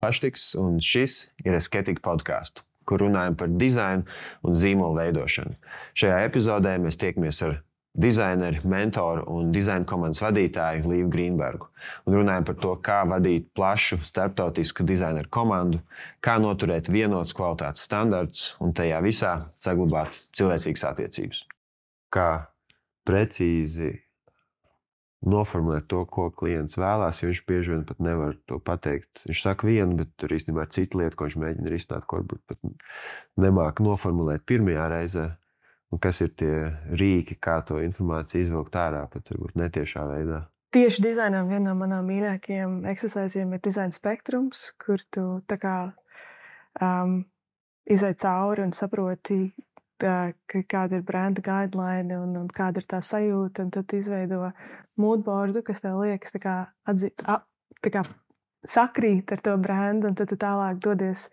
Paštiks, un šis ir Esketika podkāsts, kur runājam par dizainu un zīmolu veidošanu. Šajā epizodē mēs tiekamies ar dizaineru, mentoru un dizaina komandas vadītāju Līvu Grīnbergu un runājam par to, kā vadīt plašu starptautisku dizaineru komandu, kā noturēt vienotus kvalitātes standartus un tajā visā saglabāt cilvēcīgas attiecības. Kā precīzi noformulēt to, ko klients vēlās, jo viņš bieži vien pat nevar to pateikt. Viņš saka vienu, bet tur īstenībā ir cita lieta, ko viņš mēģina risināt, ko varbūt pat nemāk noformulēt pirmajā reizē. Un kas ir tie rīki, kā to informāciju izvilkt ārā, pat varbūt netiešā veidā. Tieši dizainām viena no manām mīļākajiem exerciziem ir dizaina spektrums, kur tu tā kā izai cauri un saproti, kāda ir brenda guideline un kāda ir tā sajūta, un tad izveido moodboardu, kas tev liekas tā kā sakrīt ar to brendu, un tad tu tālāk dodies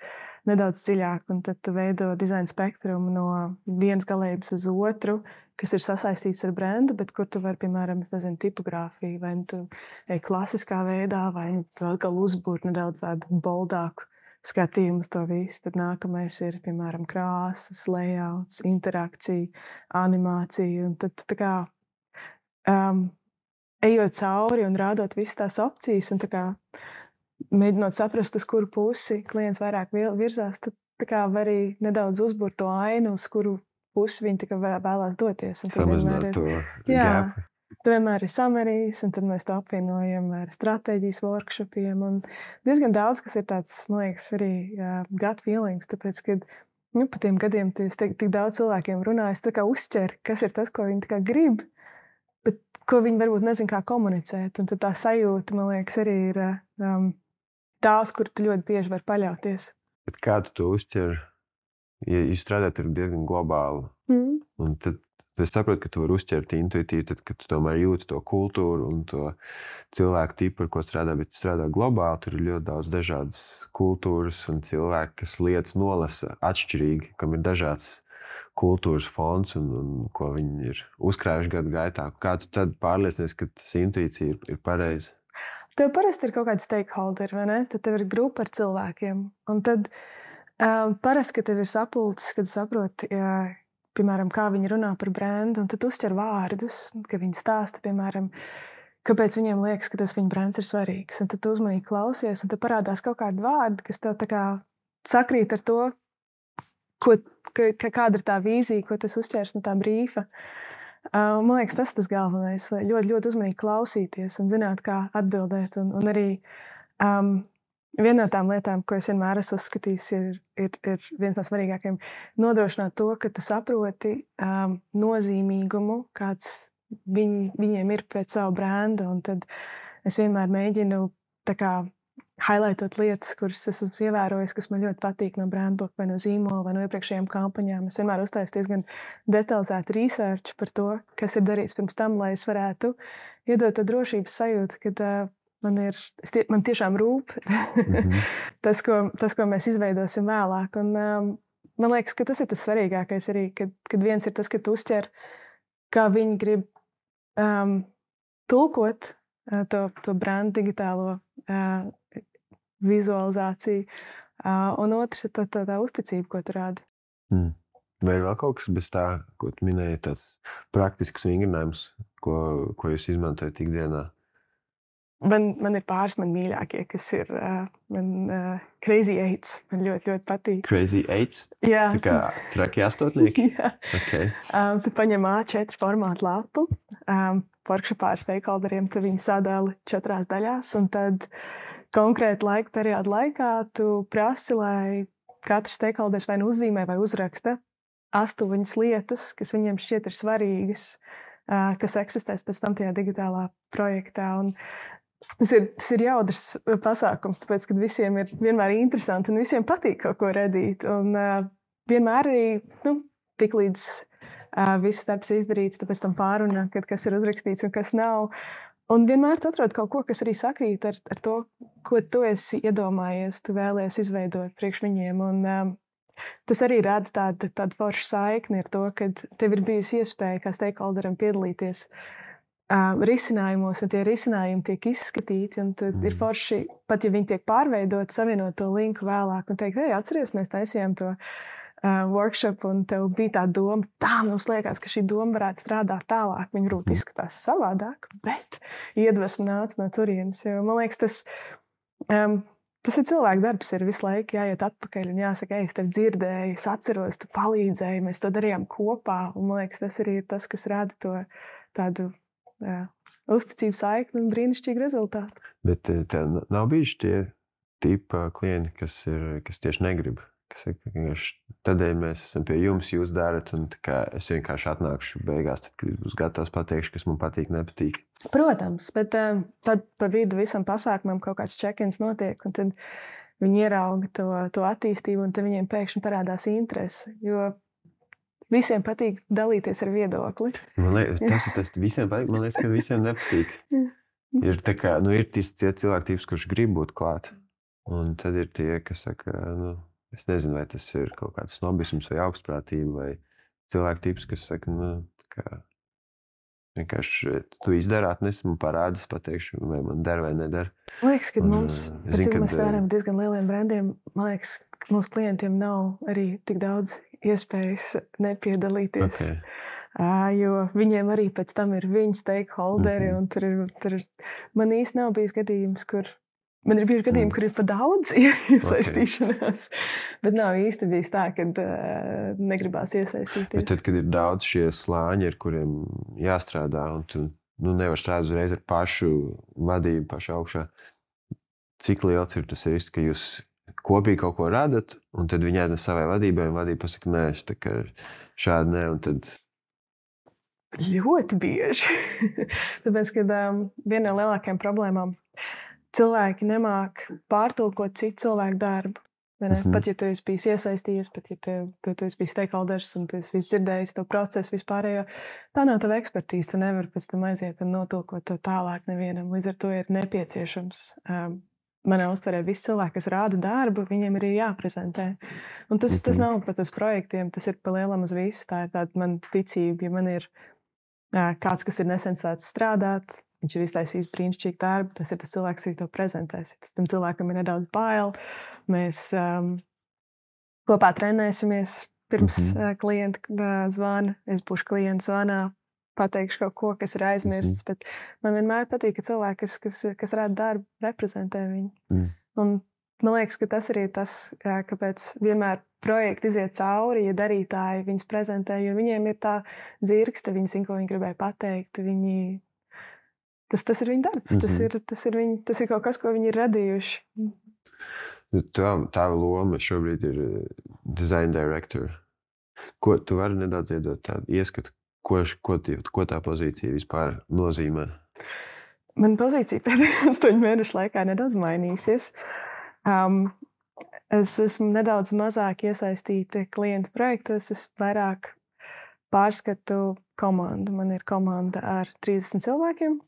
nedaudz dziļāk, un tad tu veido dizaina spektrumu no vienas galības uz otru, kas ir sasaistīts ar brendu, bet kur tu vari, piemēram, tipogrāfiju, vai tu ej klasiskā veidā, vai tu atkal uzbūrt nedaudz tādu boldāku skatījumu uz to visu. Tad nākamais ir, piemēram, krāsas, layouts, interakcija, animācija. Un tad tā kā ejot cauri un rādot visas tās opcijas un tā kā mēģinot saprast, uz kuru pusi klients vairāk virzās, tad tā kā var arī nedaudz uzburt to ainu, uz kuru pusi viņi tā kā vēlās doties. Samazināt to gāpu. Tu vienmēr ir samarijas, un tad mēs to apvienojam ar stratēģijas workshopiem. Un diezgan daudz, kas ir tāds, man liekas, arī gut feelings, tāpēc, ka pa tiem gadiem tu tik daudz cilvēkiem runājis, tā kā uzķer, kas ir tas, ko viņi tā kā grib, bet ko viņi varbūt nezin kā komunicēt. Un tad tā sajūta, man liekas, arī ir tās, kur tu ļoti bieži var paļauties. Bet kā tu to uzķer? Ja jūs strādājat diezgan globāli, un tad es saprotu, ka tu vari uzķert intuitīvi, tad, kad tu tomēr jūti to kultūru un to cilvēku tipu, ar ko strādā, bet tu strādā globāli, tur ir ļoti daudz dažādas kultūras un cilvēki, kas lietas nolasa atšķirīgi, kam ir dažāds kultūras fons un ko viņi ir uzkrājuši gadu gaitā. Kā tu tad pārliecinies, ka tas intuīcija ir pareiza? Tev parasti ir kaut kādi stakeholderi, vai ne? Tad tev ir grupa ar cilvēkiem. Un tad parasti, ka tev ir sapulces, kad saproti, piemēram, kā viņi runā par brendu, un tad uzķer vārdus, ka viņi stāsta, piemēram, kāpēc viņiem liekas, ka tas viņa brends ir svarīgs. Un tad tu uzmanīgi klausies, un tad parādās kaut kādi vārdi, kas tev tā kā sakrīt ar to, kāda ir tā vīzija, ko tas uzķers no tā brīfa. Man liekas, tas ir tas galvenais, ļoti, ļoti uzmanīgi klausīties un zināt, kā atbildēt. Un arī viena no tām lietām, ko es vienmēr esmu uzskatījis, ir viens no svarīgākajiem nodrošināt to, ka tu saproti nozīmīgumu, kāds viņiem ir pret savu brendu. Un tad es vienmēr mēģinu tā kā highlightot lietas, kuras esmu ievērojis, kas man ļoti patīk no brandbook vai no zīmola vai no iepriekšējām kampaņām. Es vienmēr uztaisu diezgan detalizētu research par to, kas ir darīts pirms tam, lai es varētu iedot to drošības sajūtu, kad man tiešām rūp tas, ko mēs izveidosim vēlāk. Un, man liekas, ka tas ir tas svarīgākais arī, kad viens ir tas, ka tu uzķer, kā viņi grib tulkot to brandu digitālo vizualizāciju, un otrs ir tā uzticība, ko tu rādi. Vai ir vēl kaut kas bez tā, ko tu minēji, tāds praktisks vingrinājums, ko jūs izmantojat ikdienā? Man ir pāris man mīļākie, kas ir Crazy 8. Man ļoti, ļoti patīk. Crazy 8? Jā. Tā kā trakie astotnieki? Jā. Okay. Tu paņem A4 formātu lapu, workshopā ar stakeholderiem, tu viņu sadali 4 daļās, un tad konkrēti laika periodu laikā tu prasi, lai katrs stakeholders vai nu uzzīmē vai uzraksta 8 lietas, kas viņiem šķiet ir svarīgas, kas eksistēs pēc tam tajā digitālā projektā. Un tas ir jaudrs pasākums, tāpēc, ka visiem ir vienmēr interesanti un visiem patīk kaut ko radīt. Un vienmēr arī, tik līdz viss darbs ir izdarīts, tāpēc tam pārunā, kas ir uzrakstīts un kas nav. Un vienmēr tu atrod kaut ko, kas arī sakrīt ar to, ko tu esi iedomājies, tu vēlies izveidot priekš viņiem. Un tas arī rada tādu foršu saikni ar to, ka tev ir bijusi iespēja kā stakeholderam piedalīties risinājumos, un tie risinājumi tiek izskatīti. Ir forši, pat ja viņi tiek pārveidoti, savienot to linku vēlāk un teikt, hei, atceries, mēs taisījām to workshop, un tev bija tā doma, tā mums liekas, ka šī doma varētu strādāt tālāk. Viņa varbūt izskatās savādāk, bet iedvesma nāca no turienes. Jo, man liekas, tas ir cilvēku darbs, ir visu laiku jāiet atpakaļ un jāsaka, es tev dzirdēju, es atceros, tu palīdzēji, mēs to darījām kopā. Un, man liekas, tas arī ir tas, kas rada to tādu uzticību saikni un brīnišķīgu rezultātu. Bet tev nav bijuši tie tipa klienti, kas tieši negrib? Tādēļ mēs esam pie jums, jūs darat, un es vienkārši atnākšu beigās, tad, kad būs gatavs pateikšu, kas man patīk, nepatīk. Protams, bet tad pa vidu visam pasākumam kaut kāds check-ins notiek, un tad viņi ierauga to attīstību, un tad viņiem pēkšņi parādās interese, jo visiem patīk dalīties ar viedokli. Man liekas, tas visiem patīk, man liekas, ka visiem nepatīk. Ir tie cilvēki, kurš grib būt klāt, un tad ir tie, kas saka, es nezinu, vai tas ir kaut kāds snobisms vai augstprātība, vai cilvēku tips, kas saka, vienkārši tu izdari, atnes man parādas, pateikšu, vai man der vai nedara. Man liekas, ka mums, pēc cik mēs strādājam diezgan lieliem brandiem, man liekas, ka mūsu klientiem nav arī tik daudz iespējas nepiedalīties. Okay. Jo viņiem arī pēc tam ir viņu stakeholderi, un tur man īsti nav bijis gadījums, kur man ir bijuši gadījumi, kur ir pa daudz iesaistīšanās, bet nav īsti bijis tā, ka negribās iesaistīties. Bet tad, kad ir daudz šie slāņi, ar kuriem jāstrādā, un tu nevar strādāt uzreiz ar pašu vadību, pašu augšā, cik liels ir tas risks, ka jūs kopīgi kaut ko radat, un tad viņi aiznes savai vadībai, un vadība pasaka, nē, šādi nē, un tad... Ļoti bieži. Tāpēc, kad viena no lielākajām problēmām cilvēki nemāk pārtulkot citu cilvēku darbu. Pat ja tu esi bijis iesaistījies, pat ja tu esi bijis stakeholders un tu esi visu dzirdējis to procesu vispārējo, tā nav tava ekspertīze. Tu nevari pēc tam aiziet un notulkot to tālāk nevienam. Līdz ar to ir nepieciešams. Manā uztverē visi cilvēki, kas rāda darbu, viņiem arī jāprezentē. Un tas nav pat uz projektiem, tas ir pa lielam uz visu. Tā ir tāda man ticība, ja man ir kāds, kas ir nesen sācis strādāt, viņš ir iztaisījis brīnišķīgu darbu, tas ir tas cilvēks, kas to prezentēs. Tam cilvēkam ir nedaudz bail. Mēs kopā trenēsimies pirms klienta zvana. Es būšu klienta zvanā, pateikšu kaut ko, kas ir aizmirsts. Bet man vienmēr patīk, ka cilvēki, kas rāda darbu, reprezentē viņu. Un man liekas, ka tas arī ir tas, kāpēc vienmēr projekti iziet cauri, ja darītāji viņus prezentē, jo viņiem ir tā dzirkste, viņi zina, ko viņi gribēja pateikt. Tas ir viņa darbs, tas ir kaut kas, ko viņi ir radījuši. Tava loma šobrīd ir design director. Ko tu vari nedaudz iedot tādu ieskatu, ko tā pozīcija vispār nozīmē? Man pozīcija pēdējā 8 mēnešu laikā nedaudz mainīsies. Es esmu nedaudz mazāk iesaistīta klientu projektos, es vairāk pārskatu komandu. Man ir komanda ar 30 cilvēkiem.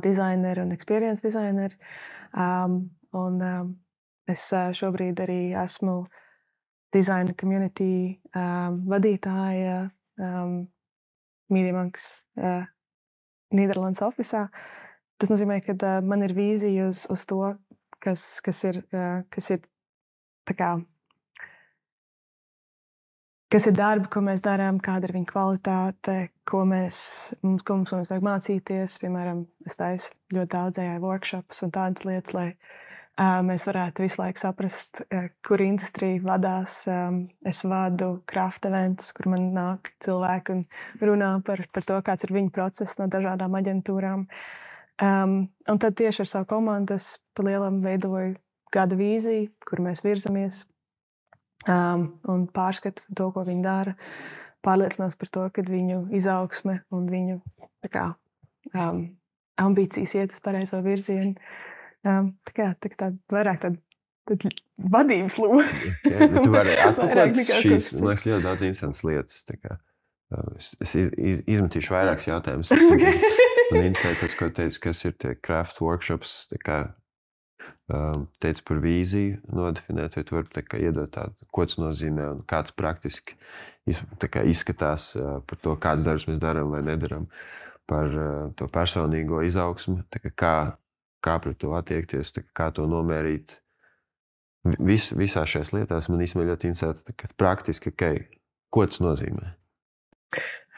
Designeri un experience designeri. Es šobrīd arī esmu design community vadītāja Media Monks Nīderlandes ofisā. Tas nozīmē, ka man ir vīzija uz to, kas ir tā kā kas ir darbi, ko mēs darām, kāda ir viņa kvalitāte, ko mums vajag mācīties. Piemēram, es taisu ļoti daudz AI workshops un tādas lietas, lai mēs varētu visu laiku saprast, kur industrija vadās. Es vadu craft eventus, kur man nāk cilvēki un runā par to, kāds ir viņu process no dažādām aģentūrām. Un tad tieši ar savu komandu es pa lielam veidoju gada vīziju, kur mēs virzamies. Un pārskatu to, ko viņi dara, pārliecinās par to, ka viņu izaugsme un viņu ambīcijas iet uz pareizo virzienu. Tā vairāk tāda vadības loma. Tu vari atpakaļ šīs, man liekas, ļoti daudz interesantas lietas. Es izmetīšu vairākas jautājumus. Man interesē tas, ko teici, kas ir tie craft workshops, teica par vīziju nodefinēt, vai tu vari iedot tādu, ko tas nozīmē un kāds praktiski izskatās par to, kāds darbs mēs darām vai nedaram. par to personīgo izaugsmu, kā pret to attiekties, kā to nomērīt. Visās šajās lietās man īstenībā ļoti interesē praktiski, ko tas nozīmē.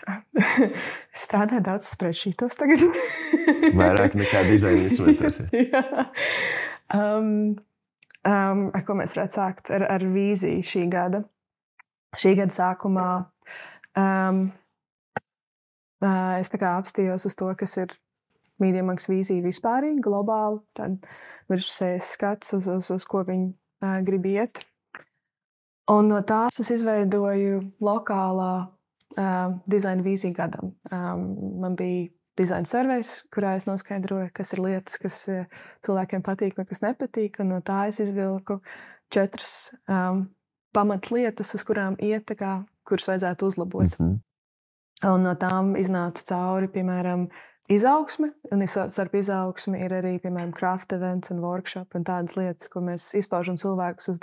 Es strādāju daudz spreadsheetos tagad. Vairāk nekā dizaina instrumentos. Ar ko mēs varētu sākt? Ar vīziju šī gada. Šī gada sākumā es apstījos uz to, kas ir Media Monks vīzija vispārīgi, globāli. Tad virspusējs skats, uz ko viņi grib iet. Un no tās es izveidoju lokālā dizaina vīziju gadam. Man bija dizaina surveys, kurā es noskaidroju, kas ir lietas, kas cilvēkiem patīk vai kas nepatīk. Un no tā es izvilku 4 pamatlietas, uz kurām iet, kuras vajadzētu uzlabot. Un no tām iznāca cauri, piemēram, izaugsme. Un starp izaugsmi ir arī, piemēram, craft events un workshop un tādas lietas, ko mēs izpaužam cilvēkus uz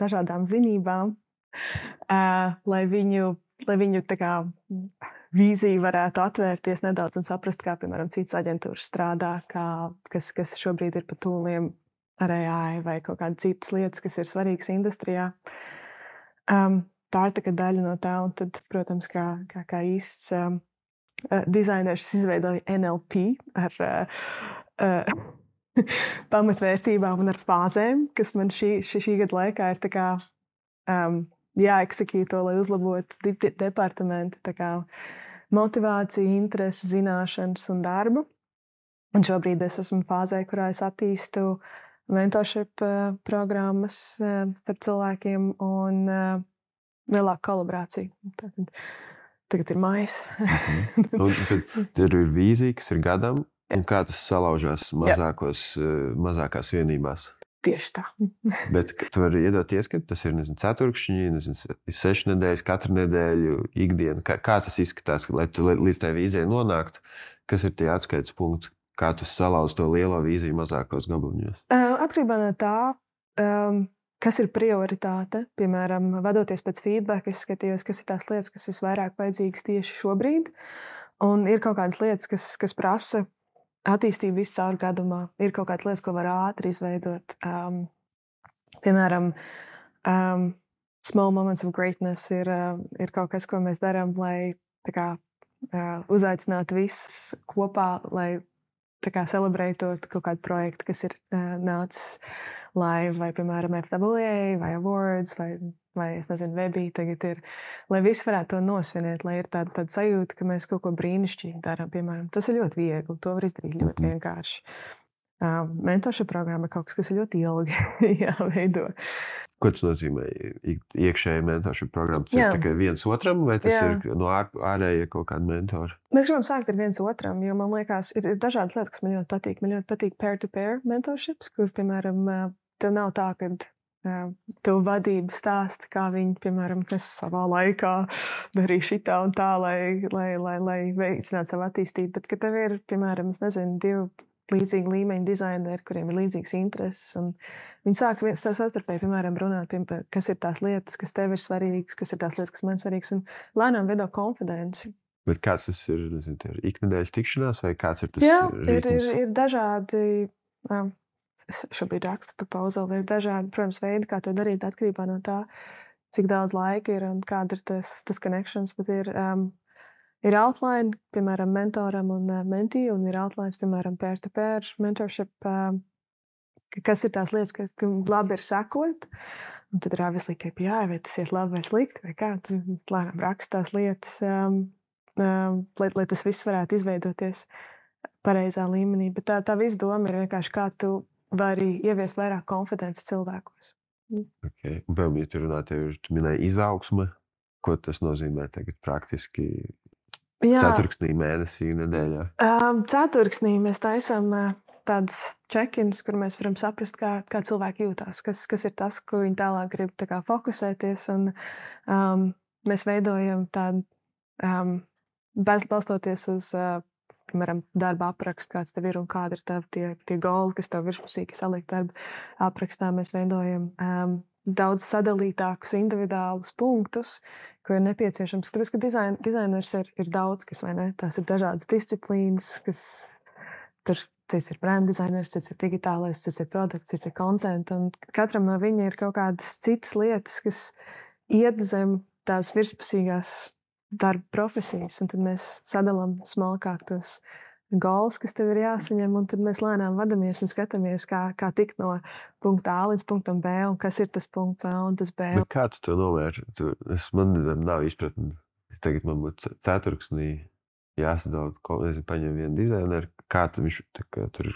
dažādām zinībām, lai viņu vīzija varētu atvērties nedaudz un saprast, kā, piemēram, citas aģentūras strādā, kas šobrīd ir pa tūliem ar AI vai kaut kādas citas lietas, kas ir svarīgas industrijā. Tā ir daļa no tā, un tad, protams, kā īsts dizainers izveidoja NLP ar pamatvērtībām un ar fāzēm, kas man šī gada laikā ir jāeksekīto, lai uzlabotu departamentu motivāciju, interesi, zināšanas un darbu. Un šobrīd es esmu fāzē, kurā es attīstu mentorship programmas starp cilvēkiem un lielāku kolaborāciju. Tagad ir mājas. Tad ir vīzija, kas ir gadam, un kā tas salaužās mazākās vienībās. Tieši tā. Bet tu vari iedot ieskatu, tas ir, ceturkšņi, 6 nedēļas, katru nedēļu, ikdienu. Kā tas izskatās, lai tu līdz tai vīzijai nonāktu? Kas ir tie atskaites punkti? Kā tu salauzi to lielo vīziju mazākos gabaliņos? Atkarībā no tā, kas ir prioritāte, piemēram, vadoties pēc feedback, es skatījos, kas ir tās lietas, kas visvairāk vajadzīgas tieši šobrīd. Un ir kaut kādas lietas, kas prasa attīstību visu caur gadumā. Ir kaut kādas lietas, ko var ātri izveidot. Piemēram, small moments of greatness ir kaut kas, ko mēs darām, lai uzaicinātu visus kopā, lai celebrētot kaut kādu projektu, kas ir nācis live, vai, piemēram, FWA, vai Awards, vai es nezinu, Webī tagad ir, lai visi varētu to nosvinēt, lai ir tāda sajūta, ka mēs kaut ko brīnišķīgi darām, piemēram. Tas ir ļoti viegli, to var izdarīt ļoti vienkārši. Mentorship programma ir kaut kas ir ļoti ilgi jāveido. Ko tas nozīmē? Iekšēji mentorship programma? Tas ir tikai viens otram, vai tas ir no ārēja kaut kāda mentora? Mēs gribam sākt ar viens otram, jo man liekas, ir dažādas lietas, kas man ļoti patīk. Man ļoti patīk peer-to-peer mentorships, kur, piemēram, tev nav tā, ka tev vadība stāsta, kā viņi, piemēram, es savā laikā darīju šitā un tā, lai veicinātu savu attīstību. Bet, ka tev ir, piemēram, es nezinu, 2 līdzīgi līmeņa dizaineri, kuriem ir līdzīgas intereses. Un viņi sāk savstarpēji, piemēram, runāt, kas ir tās lietas, kas tev ir svarīgas, kas ir tās lietas, kas man ir svarīgas, un lēnām veido konfidenci. Bet kāds tas ir? Ir iknedēļas tikšanās, vai kāds ir tas? Jā, ir dažādi. Es šobrīd rakstu par pauzeli. Ir dažādi, protams, veidi, kā to darīt, atkarībā no tā, cik daudz laika ir un kāda ir tas connections. Bet ir outline, piemēram, mentoram un mentī, un ir outlines, piemēram, peer-to-peer mentorship, kas ir tās lietas, kas labi ir sekot. Un tad ir obviously KPI, vai tas ir labi vai slikti, vai kā. Tad lēnām raksta tās lietas, lai tas viss varētu izveidoties pareizā līmenī. Bet tā visa doma ir vienkārši, kā tu vari ieviest vairāk konfidences cilvēkos. Okay. Un, ja tu runā, tu minēji izaugsme, ko tas nozīmē tagad praktiski? Ceturksnī, mēnesī, nedēļā? Ceturksnī mēs taisām tādas check-ins, kur mēs varam saprast, kā cilvēki jūtās, kas ir tas, ko viņi tālāk grib fokusēties. Un mēs veidojam tādu, balstoties uz, piemēram, darba aprakstu, kāds tev ir un kāda ir tie goli, kas tev virspusīgi salikt darba aprakstā. Mēs veidojam daudz sadalītākus individuālus punktus, ko ir nepieciešams. Tāpēc, ka dizainers ir daudz, kas, vai ne? Tās ir dažādas disciplīnas, kas tur cits ir brand dizainers, cits ir digitālais, cits ir produkts, cits ir content, un katram no viņa ir kaut kādas citas lietas, kas iet zem tās virspusīgās darba profesijas, un tad mēs sadalām smalkāk tos goals, kas tev ir jāsaņem, un tad mēs lēnām vadamies un skatāmies, kā tikt no punkta A līdz punktam B, un kas ir tas punkts A un tas B. Bet kā tu to novērti? Man nav izpratni. Tagad man būtu ceturksnī jāsadala, paņem vienu dizaineru, kā viņš tur,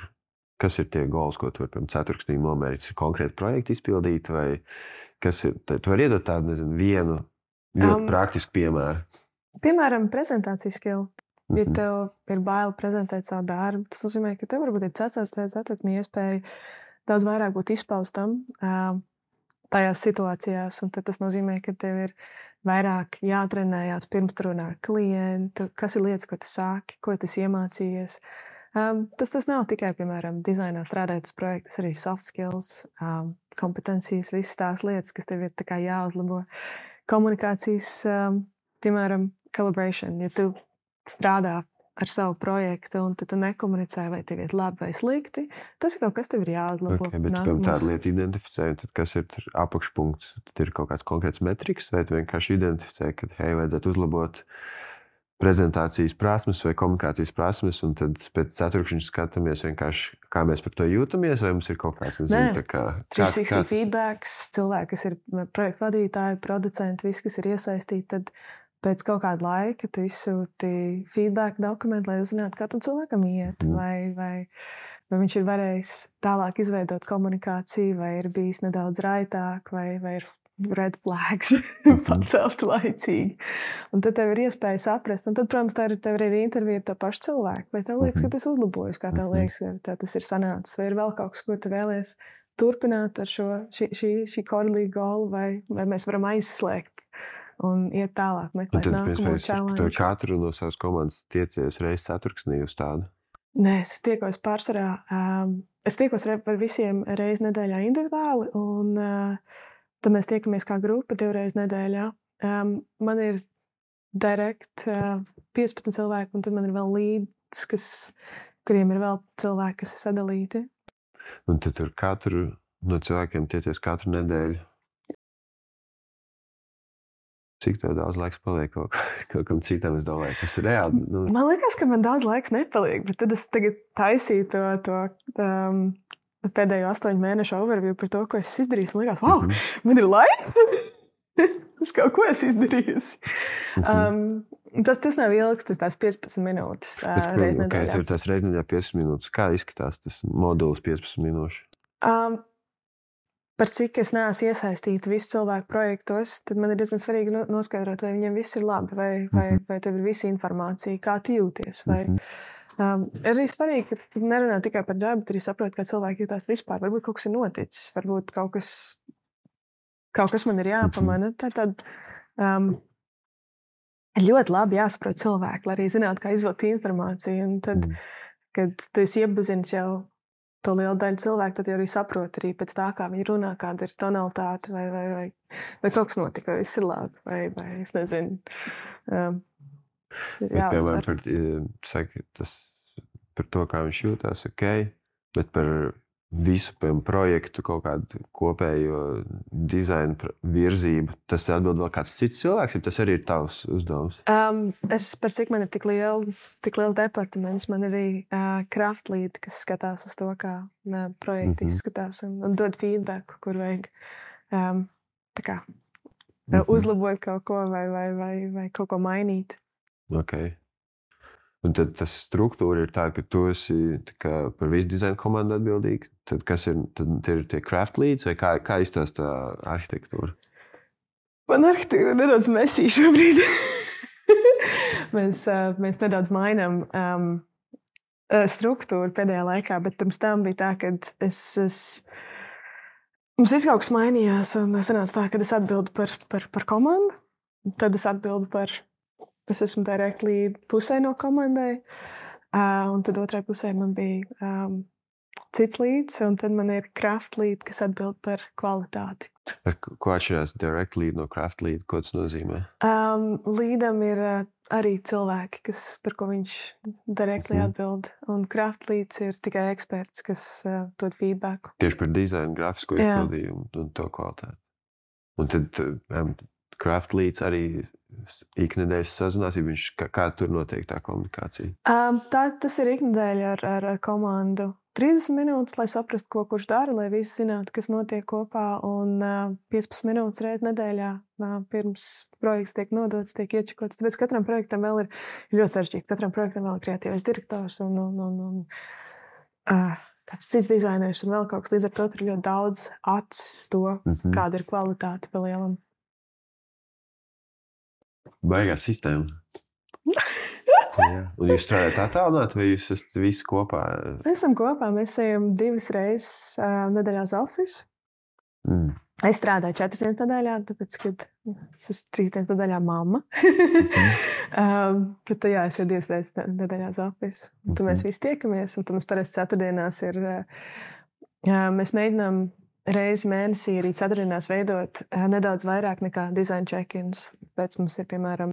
kas ir tie goals, ko tu vari pirms ceturksnī nomērīt? Ir konkrēti projekti izpildīt, vai kas ir? Tu vari iedot tādu, nezinu, vienu ļoti praktisku piemēru. Piemēram, prezentācijas skill. Ja tev ir bail prezentēt savu darbu, tas nozīmē, ka tev varbūt ir ceturtnī iespēja daudz vairāk būt izpaustam tajās situācijās, un tad tas nozīmē, ka tev ir vairāk jātrenējās pirms tu runā ar klientu, kas ir lietas, ko tu sāki, ko tu iemācījies. Tas nav tikai, piemēram, dizainā strādājot uz projektu, tas arī soft skills, kompetencijas, visas tās lietas, kas tev ir tā kā jāuzlabo. Komunikācijas, piemēram, collaboration, ja tu strādā ar savu projektu, un tu nekomunicē, vai tev ir labi vai slikti, tas ir kaut kas tev ir jāuzlabo. Okay, bet tu tādu lietu identificē, tad kas ir apakšpunkts? Tad ir kaut kāds konkrēts metriks, vai tu vienkārši identificē, ka, hei, vajadzētu uzlabot prezentācijas prasmes vai komunikācijas prasmes, un tad pēc ceturkšņa skatāmies vienkārši, kā mēs par to jūtamies, vai mums ir kaut kāds, nezinu, tā kā... 360 feedbacks, cilvēki, kas ir projektu vadītāji, producenti, visi, kas ir iesaistīti, tad pēc kaut kāda laika tu izsūti feedback dokumentu, lai uzzinātu, kā tam cilvēkam iet, vai viņš ir varējis tālāk izveidot komunikāciju, vai ir bijis nedaudz raitāk, vai ir red flags pacelt laicīgi. Un tad tev ir iespēja saprast, un tad, protams, tev ir intervija ar to pašu cilvēku. Vai tev liekas, ka tas uzlabojas, kā tev liekas, ka tas ir sanācis, vai ir vēl kaut kas, ko tu vēlies turpināt ar šī quarterly goal, vai mēs varam aizslēgt un iet tālāk, meklēt nākamo challenge. Tu katru no savas komandas tiecies reiz ceturksnī uz tādu? Nē, es tiekos pārsvarā. Es tiekos par visiem reiz nedēļā individuāli, un tad mēs tiekamies kā grupa 2 reizes nedēļā. Man ir direkt 15 cilvēki, un tad man ir vēl līdz, kuriem ir vēl cilvēki, kas ir sadalīti. Un tad tur katru no cilvēkiem tiecies katru nedēļu? Cik tev daudz laiks paliek kaut kam citam, es domāju, tas ir reāli. Man liekas, ka man daudz laiks nepaliek, bet tad es tagad taisīju to pēdējo 8 mēnešu overview par to, ko es izdarīju. Man liekas, wow, man ir laiks! Es kaut ko esmu izdarījusi. Tas nav ilgs, tās 15 minūtes reiz nedēļā. Tur tās reiz nedēļā 15 minūtes. Kā izskatās tas modulis 15 minūšu? Par cik es neesmu iesaistīta visu cilvēku projektos, tad man ir diezgan svarīgi noskaidrot, vai viņiem viss ir labi, vai tev ir visa informācija, kā tu jūties. Arī svarīgi, ka tu nerunā tikai par darbu, bet arī saproti, kā cilvēki jūtās vispār. Varbūt kaut kas ir noticis, varbūt kaut kas man ir jāpamana. Tad ļoti labi jāsaprot cilvēki, lai arī zinātu, kā izvilkt informāciju. Un tad, kad tu esi iepazinis jau to lielu daļu cilvēku, tad jau arī saproti arī pēc tā, kā viņi runā, kāda ir tonalitāte, vai kaut kas notika, vai viss ir labi, vai es nezinu. Piemēram, par to, kā viņš jūtās, ok, bet par visu projektu, kaut kādu kopējo dizainu virzību, tas atbild vēl kāds cits cilvēks, ja tas arī ir tavs uzdevums? Par cik man ir tik liels departaments, man ir arī craft lead, kas skatās uz to, kā projekti izskatās un dod feedback, kur vajag uzlabot kaut ko vai kaut ko mainīt. Ok. Un tad tas struktūra ir tā, ka tu esi par visu dizainu komandu atbildīgi. Tad kas ir? Tad ir tie craft leads vai kā izstās tā arhitektūra? Man arhitektūra nedaudz mesī šobrīd. Mēs nedaudz mainām struktūru pēdējā laikā, bet pirms tam bija tā, ka mums viss kaut kas mainījās, un sanāca tā, ka es atbildu par komandu, tad es atbildu es esmu directly pusē no komandai, un tad otrai pusē man bija cits līds, un tad man ir craft lead, kas atbild par kvalitāti. Ko atšķirās direct lead no craft lead? Ko tas nozīmē? Līdam ir arī cilvēki, par ko viņš directly atbild. Un craft leads ir tikai eksperts, kas dod feedbacku. Tieši par dizainu, grafisko izpildījumu un to kvalitāti. Un tad craft leads arī iknedēļas sazinās, ja viņš kā tur notiek tā komunikācija? Tas ir iknedēļa ar komandu. 30 minūtes, lai saprastu, ko kurš dara, lai visi zinātu, kas notiek kopā. Un 15 minūtes reiz nedēļā pirms projekts tiek nodots, tiek iečakots. Tāpēc katram projektam vēl ir ļoti sarežģīti. Katram projektam vēl ir kreatīvais direktors un kāds cits dizainers un vēl kaut kas. Līdz ar to tur ir ļoti daudz acis to, kāda ir kvalitāte pa lielam. Baigā sistēma. Jā. Un jūs strādājat attālināti, vai jūs esat visi kopā? Mēs esam kopā. Mēs ejam 2 reizes nedēļā uz ofisu. Es strādāju 4 dienas nedēļā, tāpēc, kad es esmu 3 dienas nedēļā mamma. Bet jā, es jau 2 reizes nedēļā uz ofisu. Un tad mēs visi tiekamies, un tad mums parasti ceturtdienās ir... Mēs mēģinām reizi mēnesī arī ceturtdienās veidot nedaudz vairāk nekā design check-ins. Pēc mums ir, piemēram,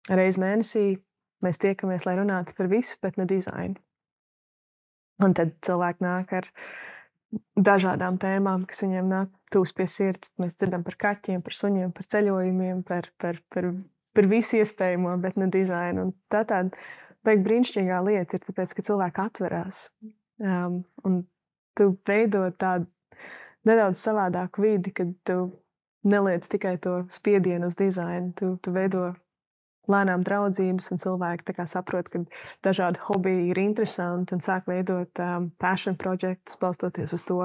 reizi mēnesī mēs tiekamies, lai runātu par visu, bet ne dizainu. Un tad cilvēki nāk ar dažādām tēmām, kas viņiem nāk tūs pie sirds. Mēs dzirdam par kaķiem, par suņiem, par ceļojumiem, par visu iespējamo, bet ne dizainu. Un tā tāda brīnišķīgā lieta ir, tāpēc, ka cilvēki atverās. Un tu veido tādu nedaudz savādāku vidi, kad tu neliec tikai to spiedienu uz dizainu. Tu veido lēnām draudzības, un cilvēki tā kā saprot, ka dažādi hobiji ir interesanti un sāk veidot passion projektus, balstoties uz to,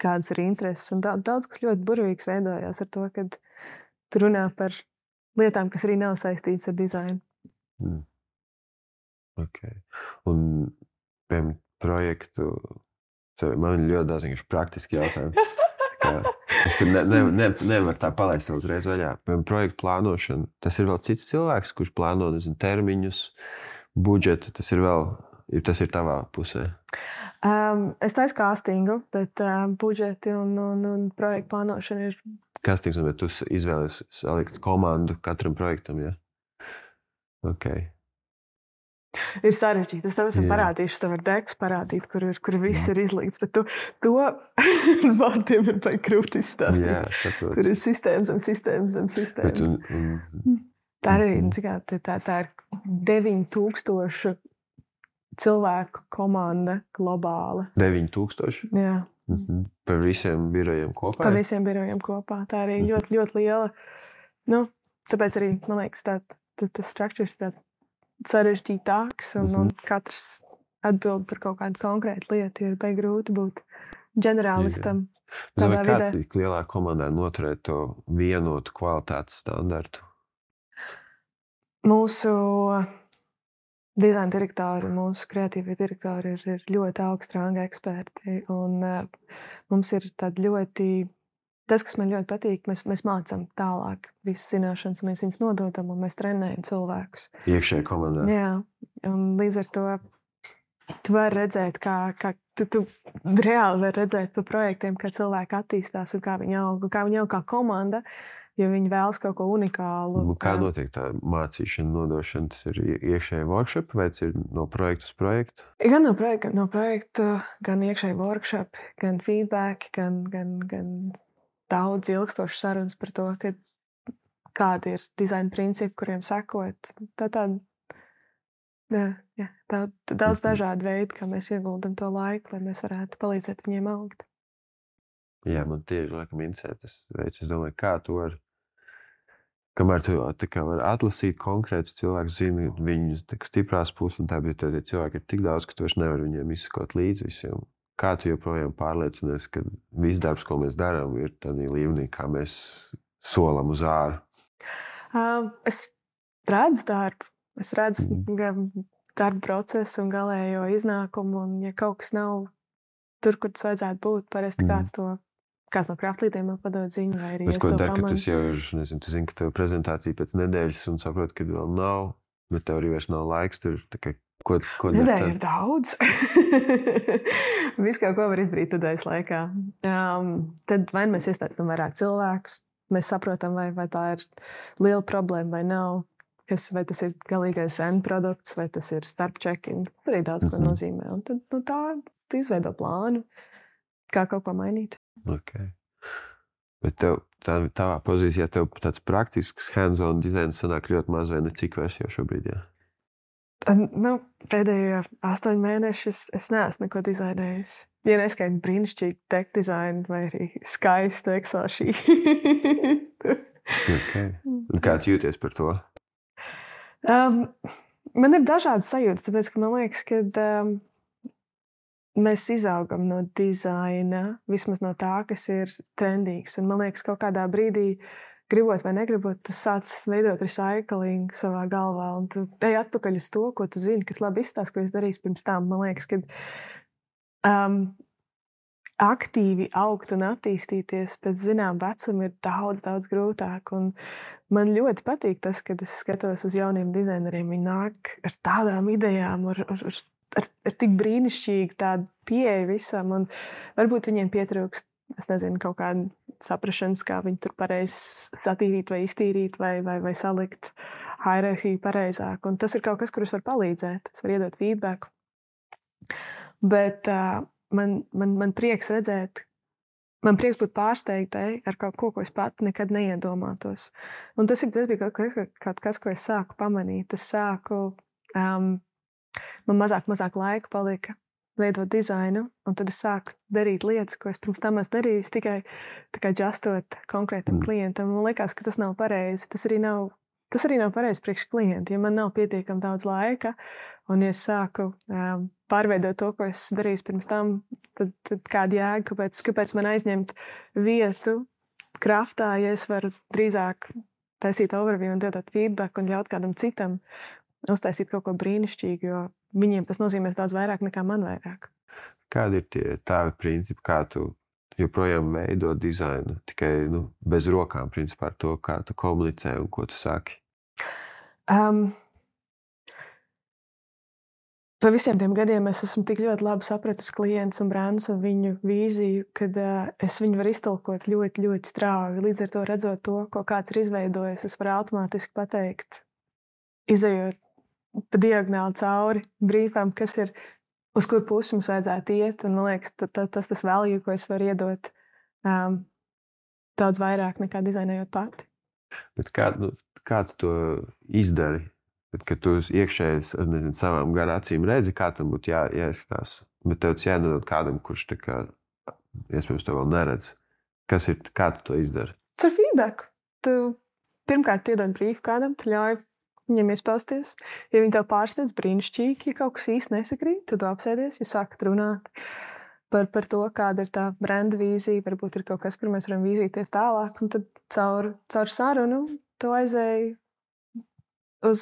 kādas ir intereses. Un daudz kas ļoti burvīgs veidojās ar to, kad tu runā par lietām, kas arī nav saistītas ar dizainu. Okay. Un, piemēram, projektu, man ir ļoti daudz praktiski jautājumi. Es tur nevaru tā palaist uzreiz vaļā. Projektu plānošana, tas ir vēl cits cilvēks, kurš plāno termiņus, budžetu, tas ir tavā pusē. Es taisu castingu, bet budžeti un projektu plānošana ir... Castings, bet tu izvēlies salikt komandu katram projektam, ja? Okay. Ir sarežģīti. Es tev esmu parādījuši, tev ar dekus parādīt, kur viss ir izlikts, bet to vārdiem ir baigi grūti izstāstīt. Jā, saprotu. Tur ir sistēmas zem sistēmas. Tā ir, tā ir 9000 cilvēku komanda globāla. 9000? Jā. Par visiem birojiem kopā? Par visiem birojiem kopā. Tā arī ļoti, ļoti liela. Tāpēc arī, man liekas, tas struktūrs ir tāds sarežģītāks, un katrs atbild par kaut kādu konkrētu lietu. Ir baigi grūti būt ģenerālistam tādā vidē. Kā tik lielā komandā noturēt to vienotu kvalitātes standartu? Mūsu dizaina direktori, mūsu kreatīvie direktori ir ļoti augstranga eksperti, un mums ir tādi ļoti... Tas, kas man ļoti patīk, mēs mācām tālāk visas zināšanas, mēs viņas nododam un mēs trenējam cilvēkus. Iekšēji komandā. Jā, un līdz ar to tu vari redzēt, kā tu reāli vari redzēt pa projektiem, kā cilvēki attīstās un kā viņi aug kā komanda, jo viņi vēlas kaut ko unikālu. Kā notiek tā mācīšana, nodošana? Tas ir iekšēji workshop vai tas ir no projekta uz projektu? Gan no projekta, gan iekšēji workshop, gan feedback, gan daudz ilgstošas sarunas par to, kādi ir dizaina principi, kuriem sekot. Daudz dažādu veidu, kā mēs ieguldam to laiku, lai mēs varētu palīdzēt viņiem augt. Jā, man tieši laikam interesē tas veids. Es domāju, kā tu vari, kamēr tu vari atlasīt konkrētus cilvēkus, zini viņu stiprās puses, un tā, bet tie cilvēki ir tik daudz, ka tu vairs nevari viņiem izsakot līdzi visiem. Kā tu joprojām pārliecinies, ka viss darbs, ko mēs darām, ir tādā līmenī, kā mēs solam uz āru? Es redzu darbu. Es redzu darba procesu un galējo iznākumu. Un, ja kaut kas nav tur, kur tas vajadzētu būt, parasti kāds no kraftlīdiem man padod ziņu. Vai arī bet ko dar, ka tas jau ir, nezinu, tu zini, ka tev prezentācija pēc nedēļas un saproti, ka vēl nav, bet tev arī vairs nav laiks tur Ko nedēļa ir daudz. Viss, ko var izdarīt nedēļas laikā. Tad vai mēs iesaistām vairāk cilvēkus, mēs saprotam, vai tā ir liela problēma vai nav. Vai tas ir galīgais end produkts, vai tas ir starp checking. Tas arī daudz ko nozīmē. Un tad tā izveido plānu, kā kaut ko mainīt. Okay. Bet tev, tavā pozīcijā tev tāds praktisks hands-on dizains sanāk ļoti maz vai necik vairs jau šobrīd, jā? Pēdējo 8 mēnešus es neesmu neko dizainējusi. Ja neskaitu brīnišķīgu tech dizainu vai arī skaistu Excel sheet. Okay. Un kā tu jūties par to? Man ir dažādas sajūtas, tāpēc, ka man liekas, ka mēs izaugam no dizaina, vismaz no tā, kas ir trendīgs. Un man liekas, kaut kādā brīdī, gribot vai negribot, tu sāc veidot recycling savā galvā, un tu ej atpakaļ uz to, ko tu zini, kas labi izstāsta, ko es darīju pirms tam. Man liekas, ka aktīvi augt un attīstīties pēc zinām vecuma ir daudz, daudz grūtāk. Un man ļoti patīk tas, kad es skatos uz jauniem dizaineriem. Viņi nāk ar tādām idejām, ar tik brīnišķīgu tādu pieeju visam, un varbūt viņiem pietrūkst, es nezinu, kaut kāda saprašanas, kā viņi tur pareizi satīrīt vai iztīrīt vai salikt hierarhiju pareizāk. Un tas ir kaut kas, kur es varu palīdzēt, es varu iedot feedbacku. Bet man prieks redzēt, man prieks būt pārsteigtai ar kaut ko es pati nekad neiedomātos. Un tas bija kaut kas, ko es sāku pamanīt. Es sāku, man mazāk laika palika veidot dizainu, un tad es sāku darīt lietas, ko es pirms tam esmu darījis, tikai tā kā justot konkrētam klientam. Man liekas, ka tas nav pareizi. Tas arī nav pareizi priekš klienta. Ja man nav pietiekami daudz laika, un ja es sāku pārveidot to, ko es darīju pirms tam, tad kāda jēga, kāpēc man aizņemt vietu kraftā, ja es varu drīzāk taisīt overview un dot feedback un ļaut kādam citam uztaisīt kaut ko brīnišķīgu, jo viņiem tas nozīmēs daudz vairāk nekā man vairāk. Kādi ir tie tavi principi, kā tu joprojām veido dizainu, tikai bez rokām, principā ar to, kā tu komunicē un ko tu saki? Pa visiem tiem gadiem es esmu tik ļoti labi sapratis klients un brands un viņu vīziju, kad es viņu varu iztulkot ļoti, ļoti strauji. Līdz ar to redzot to, ko kāds ir izveidojis, es varu automātiski pateikt, izejot pa diagonāli cauri brīfām, kas ir, uz kur pusi mums vajadzētu iet. Un man liekas, tas value, ko es varu iedot daudz vairāk nekā dizainējot pati. Bet kā tu to izdari? Kad tu iekšēji ar savām garām acīm redzi, kā tam būtu jāizskatās. Bet tev tas jānodod kādam, kurš tā kā, iespējams, to vēl neredz. Kā tu to izdari? Ar feedback. Tu pirmkārt iedod brīfu kādam, tu ļauj viņam iespausties. Ja viņi tev pārsteidz, brīnišķīgi, ja kaut kas īsti nesakrīt, tad tu apsēdies, ja sākat runāt par to, kāda ir tā brenda vīzija, varbūt ir kaut kas, kur mēs varam vīzīties tālāk, un tad caur sarunu tu aizēji uz